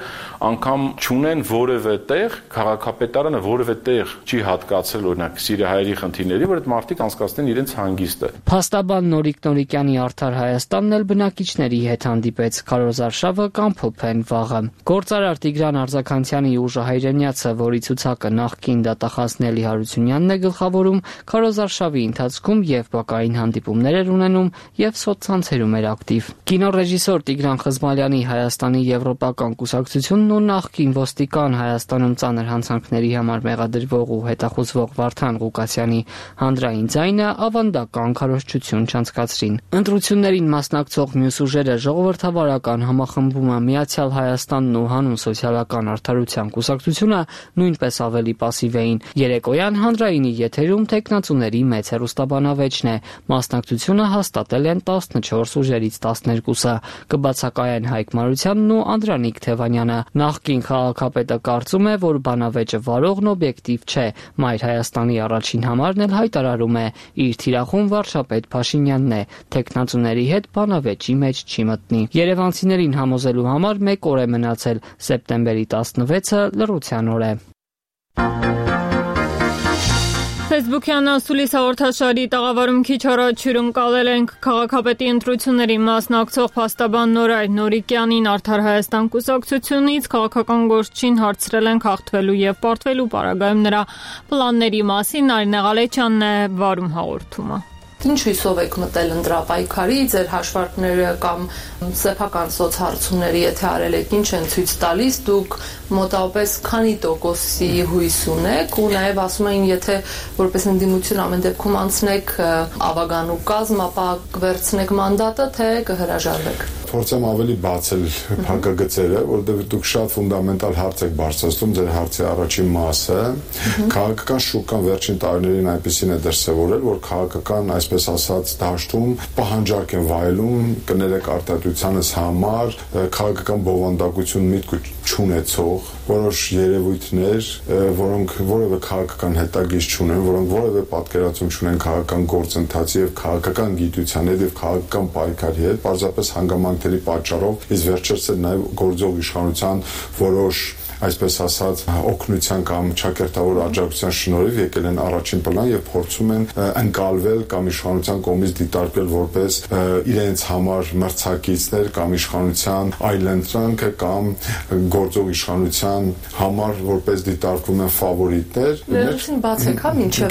անգամ չունեն որևէ տեղ, քաղաքապետարանը որևէ տեղ չի հատկացել, օրինակ, սիրահայերի խնդիրների, որ այդ մարդիկ անցկացնեն իրենց հանգիստը։ Փաստաբան Նորիկ Նորիկյանի Արդար Հայաստանն էլ բնակիչների հետ հանդիպեց, քարոզարշավը կամփոփեն վաղը։ Գործարար Տիգրան Արձականցյանի ուժը հայրենյացը, որի ցուցակը նախկին դատախազ Նելի Հարությունյանն է գլխավորում, քարոզարշավի ընթացքում եւ բակային հանդիպումներ էր ունենում եւ սոցցանցերում էր ակտիվ։ Կինոռեժիսոր Տիգրան Խզմալյանի Հայաստանի Եվրոպական կուսակցությունն ու նախկին ոստիկան Հայաստանում ծանր հանցանքների համար մեղադրվող ու հետախուզվող Վարդան Ղուկասյանի հանրային ձայնը ավանդական քարոզչություն չանցկացրին։ Ընտրություններին մասնակցող մյուս ուժերը ժողովրդավարական համախմբումը Միացյալ Հայաստանն ու Հանուն սոցիալական արդարության կուսակցությունը նույնպես ավելի պասիվ էին։ Երեկոյան հանրայինի եթերում տեխնացուների մեծ հեռուստաբանավեճն է։ Մասնակցությունը հաստատել են տասնչորս ուժերից տասներկուսը։ Կբացակայեն Հայկ Մարությանն ու Անդրանիկ Թևանյանը։ Նախկին քաղաքապետը կարծում է, որ բանավեճը վարողն օբյեկտիվ չէ։ Մայր Հայաստանի առաջին համարն էլ հայտարարում է, իր թիրախում վարչապետ Փաշինյանն է։ Տեխնացուների հետ բանավեճի մեջ չի մտնի։ Երևանցիներին համոզելու համար մեկ օր է մնացել։ Սեպտեմբերի տասնվեցը լռության օր է։ Facebook-յան ասուլիս հաղորդաշարի տաղավարում քիչ առաջ հյուրընկալել ենք քաղաքապետի ընտրությունների մասնակցող փաստաբան Նորայր Նորիկյանին Արդար Հայաստան կուսակցությունից քաղաքական գործչին հարցրել ենք հաղթվելու եւ պարտվելու պարագայում նրա պլանների մասին։ Նարինե Ղալեչյանն է վարում հաղորդումը։ Ինչ հույսով եք մտել ընտրապայքարի, ձեր հաշվարկները կամ սեփական սոցհարցումների, եթե արել եք, ինչ են ցույց տալիս, դուք մոտավորապես քանի տոկոսի հույս ունեք, ու նաև ասում էին, եթե որպես ընդդիմություն ամեն դեպքում անցնեք ավագանու կազմ, ապա կվերցնեք մանդատը, թե կհրաժարվեք։ Փորձեմ ավելի բացել փակագծերը, որովհետև դուք շատ ֆունդամենտալ հարց եք բարձրացնում, ձեր հարցի առաջին մասը, քաղաքական շուկան վերջին տարիներին այնպեսին է դրսևորել, որ քաղաքական, այսպես ասած, դաշտում պահանջարկ են վայելում, կներեք արտադրությանս համար, քաղաքական բովանդակություն միտք չունեցող որոշ երևույթներ, որոնք որևէ քաղաքական հետագիծ չունեն, որոնք որևէ պատկերացում չունեն քաղաքական գործընթացի եւ քաղաքական գիտության հետ եւ քաղաքական պայքարի հետ, պարզապես հանգամանքների պատճառով, իսկ վերջերս էլ նաեւ գործող իշխանության որոշ այսպես ասած օգնության կամ ճակերտավոր աջակցության շնորհիվ եկել են առաջին պլան եւ փորձում են ընկալվել կամ իշխանության կողմից դիտարկվել որպես իրենց համար մրցակիցներ կամ իշխանության այլընտրանքը կամ գործող իշխանության համար որպես դիտարկվում են ֆավորիտներ։ Վերջին բացեք, հա, մինչեւ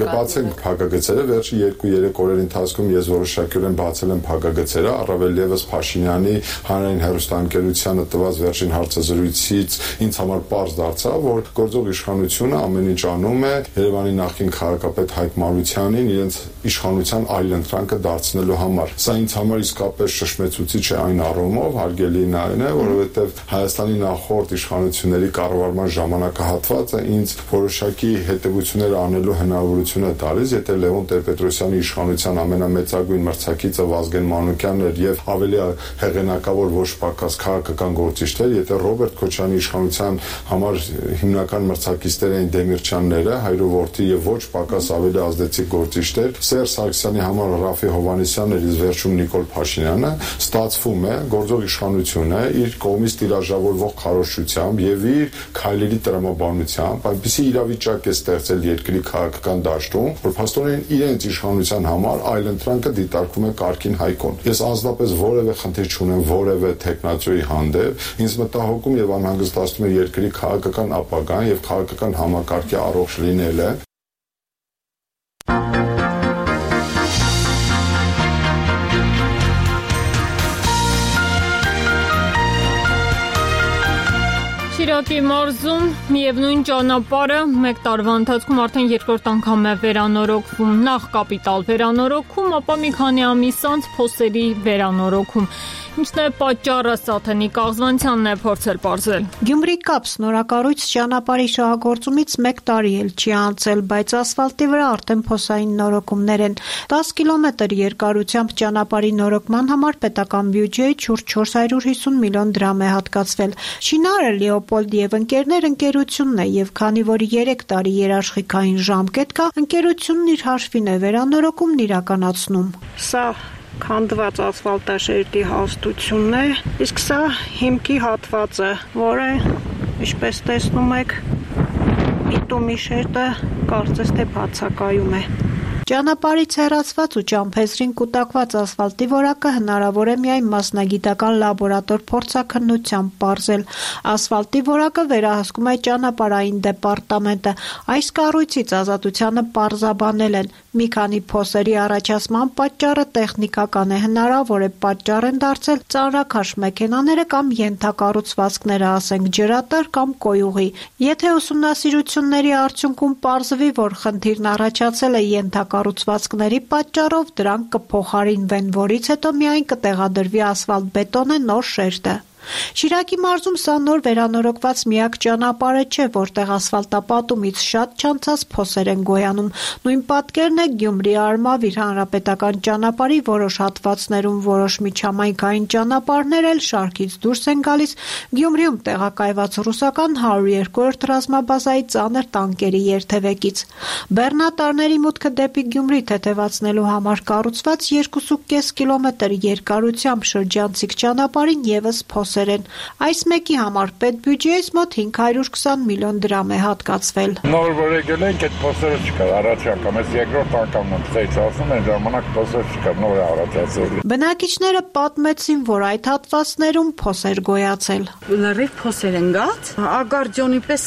կբացենք փակագծերը վերջի երկու երեք օրերի ընթացքում ես որոշակիորեն բացել եմ փակագծերը, առավել եւս Փաշինյանի հանրային հեռուստաընկերությանը տված վերջին հարցազրույցից ինձ համար պարզ դարձավ, որ գործող իշխանությունը ամեն ինչ անում է Երևանի նախկին քաղաքապետ Հայկ Մարությանին իրենց իշխանության այլընտրանքը դարձնելու համար։ Սա ինձ համար իսկապես շշմեցուցիչ է այն առումով, հարգելին այն է, որովհետև Հայաստանի նախորդ իշխանությունների կառավարման ժամանակահատվածը ինձ որոշակի հետևություններ անելու հնարավորություն է տալիս, եթե Լևոն Տեր-Պետրոսյանի իշխանության ամենամեծագույն մրցակիցը Վազգեն Մանուկյանն էր եւ ավելի հեղինակավոր ոչ պակաս քաղաքական գործիչներ, եթե Ռոբերտ Քոչարյանի իշխանության համար հիմնական մրցակիցներ էին Դեմիրճյանները, հայրովորդի եւ ոչ պակաս ավելի ազդեցիկ գործիչներ, Սերժ Սարգսյանի համար Ռաֆի Հովհաննիսյանն էր, իսկ վերջում Նիկոլ Փաշինյանը, ստացվում է գործող իշխանությունը իր կողմից տիրաժավորվող քարոզչությամբ եւ իր քայլերի տրամաբանությամբ այնպիսի իրավիճակ է ստեղծել երկրի քաղաքական դաշտում, որ փաստորեն իրենց իշխանության համար այլընտրանքը դիտարկվում է կարգին հայկոն։ Ես անձնապես որևէ խնդիր չունեմ որևէ տեխնացուի հանդեպ, ինձ մտահոգում եւ անհանգստացնում է երկրի քաղաքական ապագան եւ քաղաքական համակարգի առողջ լինելը։ Շիրակի մարզում միևնույն ճանապարհը մեկ տարվա ընթացքում արդեն երկրորդ անգամ է վերանորոգվում, նախ կապիտալ վերանորոգում, ապա մի քանի ամիս անց փոսերի վերանորոգում։ Ինչն է պատճառը, Սաթենի Կաղզվանցյանն է փորձել պարզել։ Գյումրի-Կապ նորակառույց ճանապարհի շահագործումից մեկ տարի էլ չի անցել, բայց ասֆալտի վրա արդեն փոսային նորոգումներ են։ դաս կիլոմետր երկարությամբ ճանապարհի նորոգման համար պետական բյուջեից շուրջ չորս հարյուր հիսուն միլիոն դրամ է հատկացվել։ Շինարարը Լեոպոլդ եւ ընկերներ ընկերությունն է եւ քանի որ երեք տարի երաշխիքային ժամկետ կա, ընկերությունն իր հաշվին է վերանորոգումն իրականացնում։ Սա քանդված ասֆալտաշերտի հաստությունն է, իսկ սա հիմքի հատվածը, որը, ինչպես տեսնում եք, բիտումի շերտը կարծես թե բացակայում է։ Ճանապարհից հեռացված ու ճամփեզրին կուտակված ասֆալտի որակը հնարավոր է միայն մասնագիտական լաբորատոր փորձաքննությամբ պարզել։ Ասֆալտի որակը վերահսկում է ճանապարհային դեպարտամենտը։ Այս կառույցից ազատությանը պարզաբանել են։ Մի քանի փոսերի առաջացման պատճառը տեխնիկական է, հնարավոր է պատճառ են դարձել ծանրաքաշ մեքենաները կամ ենթակառուցվածքները, ասենք ջրատար կամ կոյուղի։ Եթե ուսումնասիրությունների արդյունքում պարզվի, որ խնդիրն առաջացել է ենթակառուցվածքների պատճառով, դրանք կփոխարինվեն, որից հետո միայն կտեղադրվի ասֆալտբետոնե նոր շերտը։ Շիրակի մարզում սա նոր վերանորոգված միակ ճանապարհը չէ, որտեղ ասֆալտապատումից շատ չանցած փոսեր են գոյանում։ Նույն պատկերն է Գյումրի Արմավիր հանրապետական ճանապարհի որոշ հատվածներում, որոշ միջհամայնքային ճանապարհներ էլ շարքից դուրս են գալիս Գյումրիում տեղակայված ռուսական հարյուր երկրորդ ռազմաբազայի ծանր տանկերի երթևեկից։ Բեռնատարների մուտքը դեպի Գյումրի թեթևացնելու համար կառուցված երկու կես կիլոմետր երկարությամբ շրջանցիկ ճանապարհին եւս փոս փոսեր են։ Այս մեկի համար պետբյուջեից մոտ հինգ հարյուր քսան միլիոն դրամ է հատկացվել։ Նոր որ եկել ենք, այդ փոսերը չկար, առաջ անգամ, այս երկրորդ անգամն եմ ծեծացնում, այն ժամանակ փոսեր չկար, նոր է առաջացել։ Բնակիչները պատմեցին, որ այդ հատվածներում փոսեր գոյացել։ Լրիվ փոսեր են գած, ագարջոնի պես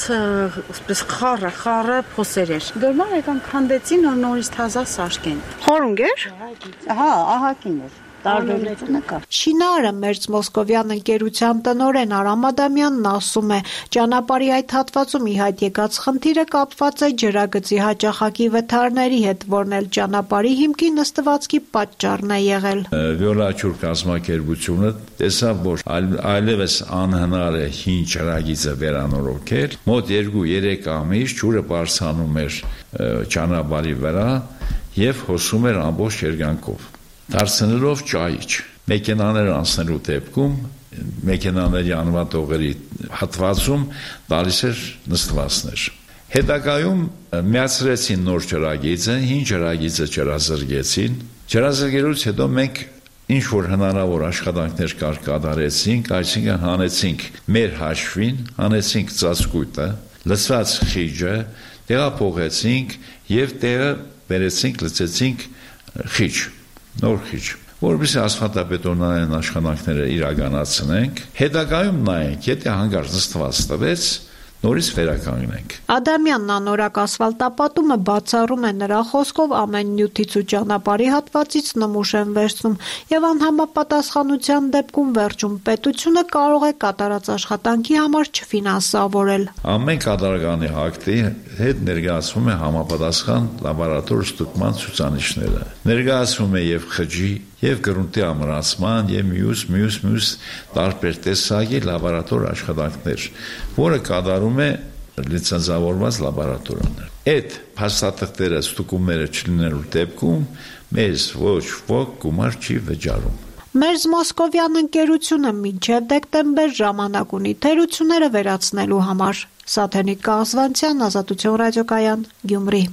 պես խառը, խառը փոսեր էր։ Դորմալ եկան քանդեցին, նոր նորից թազա սարքեն։ Խորունգ էր։ Հա, ահագին էր։ Տարբերությունը կա։ Շինարը Մերձ Մոսկովյան ընկերության տնօրեն Արամ Ադամյանն ասում է, ճանապարհի այդ հատվածում ի հայտ եկած խնդիրը կապված է ջրագծի հաճախակի վթարների հետ, որն էլ ճանապարհի հիմքի նստվածքի պատճառն է եղել։ Վիոլաչուր կազմակերպությունը տեսավ, որ այլևս անհնար է հին ջրագիծը վերանորոգել, մոտ երկու-երեք ամիս ջուրը բարձրանում էր ճանապարհի վրա եւ հոսում էր ամբողջ երկայնքով։ Դարձնելով ճայիչ, մեքենաներ անցնելու դեպքում, մեքենաների անվատողերի հատվածում տալիս էր նստվածներ։ Հետագայում միացրեցին նոր ջրագիծը, հին ջրագիծը ջրազրկեցին։ Ջրազրկելուց հետո մենք ինչ որ հնարավոր աշխատանքներ կար կատարեցինք, այսինքն հանեցինք մեր հաշվին, հանեցինք ծածկույթը, լցված խիճը, տեղափոխեցինք եւ տեղը բերեցինք, լցեցինք խիճ։ Նոր խիճ, որովհետեւ ասֆալտաբետոնային աշխատանքները իրականացնենք, հետագայում նայենք, եթե հանգարց նստված տվեց, նորից վերականգնենք։ Ադամյանն անորակ ասֆալտապատումը բացառում է նրա խոսքով ամեն նյութից ու ճանապարհի հատվածից նմուշ են վերցնում եւ անհամապատասխանության դեպքում վերջում պետությունը կարող է կատարած աշխատանքի համար չֆինանսավորել։ Ամեն կատարականի ակտի հետ ներկայացվում է համապատասխան լաբորատոր ստուգման ցուցանիշները։ Ներկայացվում է եւ խճի եւ գրունտի ամրացման եւ մյուս մյուս մյուս տարբեր տեսակի լաբորատոր աշխատանքներ, որը կատարում է լիցենզավորված լաբորատորիաներ։ Այդ փաստաթղթերը ստուգումները չլինելու դեպքում մեզ ոչ ոք գումար չի վճարում։ Մերձ Մոսկովյան ընկերությունը մինչև դեկտեմբեր ժամանակ ունի թերությունները վերացնելու համար։ Սաթենիկ Կազվանցյան, Ազատություն ռադիոկայան, Գյումրի։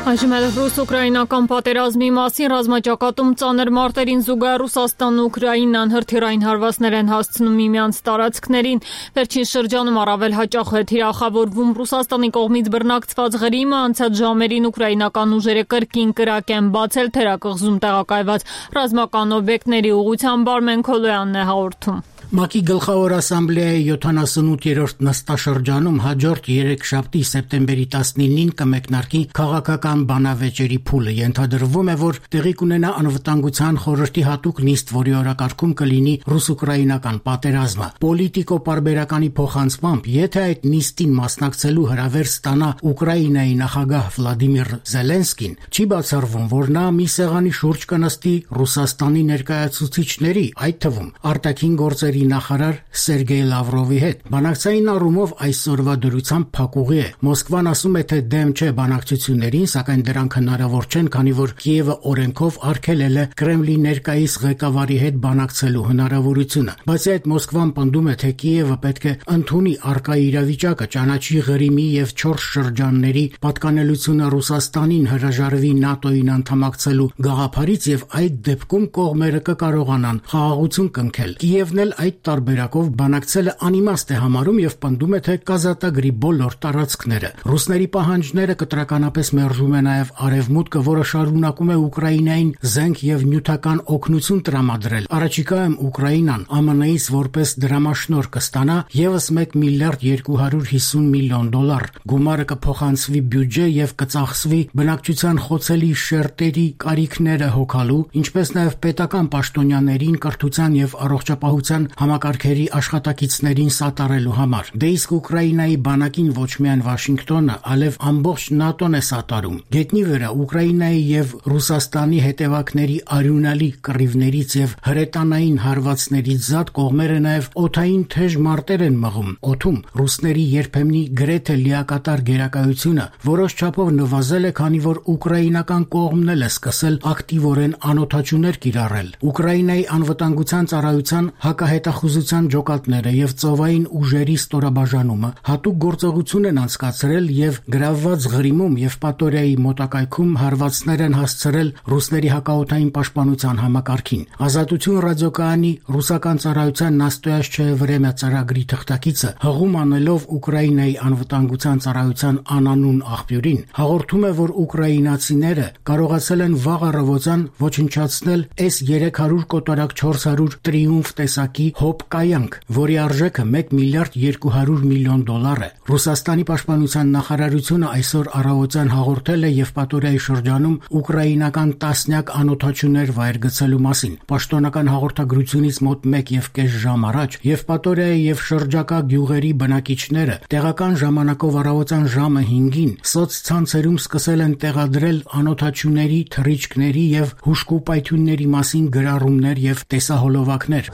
Այժմ էլ ռուս-ուկրաինական պատերազմի մասին ռազմաճակատում ծանր մարտերին զուգահեռ Ռուսաստանն ու Ուկրաինան հրթիռային հարվածներ են հասցնում միմյանց տարածքներին։ Վերջին շրջանում առավել հաճախ է թիրախավորվում Ռուսաստանի կողմից բռնակցված Ղրիմը, անցած ժամերին ուկրաինական ուժերը կրկին կրակ են բացել թերակղզում տեղակայված ռազմական օբյեկտների ուղղությամբ Արմեն Քոլոյանն է հաղորդում։ ՄԱԿ-ի գլխավոր ասամբլեայի յոթանասունութերորդ նստաշրջանում հաջորդ երեքշաբթի սեպտեմբերի տասնինին կմեկնարկի քաղաքական բանավեճերի փուլը։ Ենթադրվում է, որ տեղի կունենա անվտանգության խորհրդի հատուկ նիստ, որի օրակարգում կլինի ռուս-ուկրաինական պատերազմը։ Պոլիտիկո պարբերականի փոխանցմամբ, եթե այդ նիստին մասնակցելու հրավեր ստանա Ուկրաինայի նախագահ Վլադիմիր Զելենսկին, չի բացառվում, որ նա մի սեղանի շուրջ կնստի Ռուսաստանի ներկայացուցիչների, այդ թվում արտաքին գործերի նախարար Սերգեյ Լավրովի հետ։ Բանակցային առումով այսօրվա դրությամբ փակուղի է։ Մոսկվան ասում է, թե դեմ չէ բանակցություններին, սակայն դրանք հնարավոր չեն, քանի որ Կիևը օրենքով արգելել է Կրեմլի ներկայիս ղեկավարի հետ բանակցելու հնարավորությունը։ Բացի այդ, Մոսկվան պնդում է, թե Կիևը պետք է ընդունի առկա իրավիճակը, ճանաչի Ղրիմի եւ չորս շրջանների պատկանելությունը Ռուսաստանին, հրաժարվի ՆԱՏՕ-ին անդամակցելու գաղափարից եւ այդ դեպքում կողմերը կկարողանան խաղաղություն կնքել։ Կիևն էլ այդ տարբերակով բանակցելը անիմաստ է համարում եւ պնդում է, թե կազատագրի բոլոր տարածքները։ Ռուսների պահանջները կտրականապես մերժում է նաեւ Արևմուտքը, որը շարունակում է Ուկրաինային զենք եւ նյութական օգնություն տրամադրել։ Առաջիկայում Ուկրաինան ԱՄՆ-ից որպես դրամաշնորհ կստանա եւս մեկ միլիարդ երկու հարյուր հիսուն միլիոն դոլար։ Գումարը կփոխանցվի բյուջե եւ կծախսվի բնակչության խոցելի շերտերի կարիքները հոգալու, ինչպես նաեւ պետական պաշտոնյաներին կրթության եւ առողջապահության համակարգերի աշխատակիցներին սատարելու համար։ Դե իսկ Ուկրաինայի բանակին ոչ միայն Վաշինգտոնը, այլև ամբողջ ՆԱՏՕ-ն է սատարում։ Գետնի վրա Ուկրաինայի եւ Ռուսաստանի հետևակների արյունալի կռիվներից եւ հրետանային հարվածներից զատ կողմերը նաեւ օդային թեժ մարտեր են մղում։ Օդում ռուսների երբեմնի գրեթե լիակատար գերակայությունը որոշ չափով նվազել է, քանի որ ուկրաինական կողմն էլ է սկսել ակտիվորեն անօթաչուներ կիրառել։ Ուկրաինայի անվտանգության ծառայության հակահետ հետախուզության ջոկատները եւ ծովային ուժերի ստորաբաժանումը հատուկ գործողություն են անցկացրել եւ գրավված Ղրիմում եւ Պատորիայի մոտակայքում հարվածներ են հասցրել ռուսների հակաօդային պաշտպանության համակարգին։ Ազատություն ռադիոկայանի ռուսական ծառայության Նաստոյաշչեյ Վրեմյա ծրագրի թղթակիցը հղում անելով Ուկրաինայի անվտանգության ծառայության անանուն աղբյուրին հաղորդում է, որ ուկրաինացիները կարողացել են վաղ առավոտյան ոչնչացնել էս երեք հարյուր կոտորակ չորս հարյուր Տրիումֆ տեսակի հոբ կայանք, որի արժեքը մեկ միլիարդ երկու հարյուր միլիոն դոլար է։ Ռուսաստանի պաշտպանության նախարարությունը այսօր առավոտյան հաղորդել է Եվպատորիայի շրջանում ուկրաինական տասնյակ անօդաչուներ վայր գցելու մասին։ Պաշտոնական հաղորդագրությունից մոտ մեկ եւ կես ժամ առաջ Եվպատորիայի եւ շրջակա գյուղերի բնակիչները տեղական ժամանակով առավոտյան ժամը հինգին սոցցանցերում սկսել են տեղադրել անօդաչուների, թռիչքների եւ հուժկու պայթյունների մասին գրառումներ եւ տեսահոլովակներ։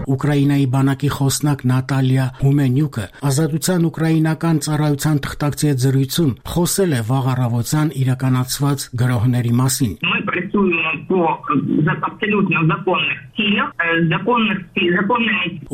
Ուկրաինայի բանակի խոսնակ Նատալիա Հումենյուկը ազատության ուկրաինական ծառայության թղթակցի հետ զրույցում խոսել է վաղ առավոտյան իրականացված գրոհների մասին։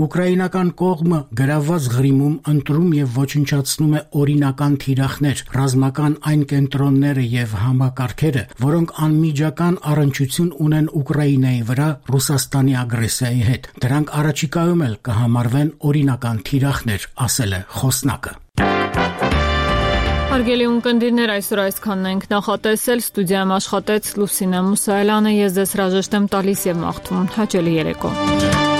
Ուկրաինական կողմը գրաված Ղրիմում ընտրում եւ ոչնչացնում է օրինական թիրախներ, ռազմական այն կենտրոնները եւ համակարգերը, որոնք անմիջական առնչություն ունեն Ուկրաինայի վրա Ռուսաստանի ագրեսիայի հետ։ Դրանք առաջիկայում էլ կհամարվեն օրինական թիրախներ, ասել է խոսնակը։ Հարգելի ունկնդիրներ, այսօր այսքանն ենք նախատեսել, ստուդիայում աշխատեց Լուսինե Մուսայելյանը, ես ձեզ հրաժեշտ եմ տալիս եւ մաղթում հաճելի երեկո։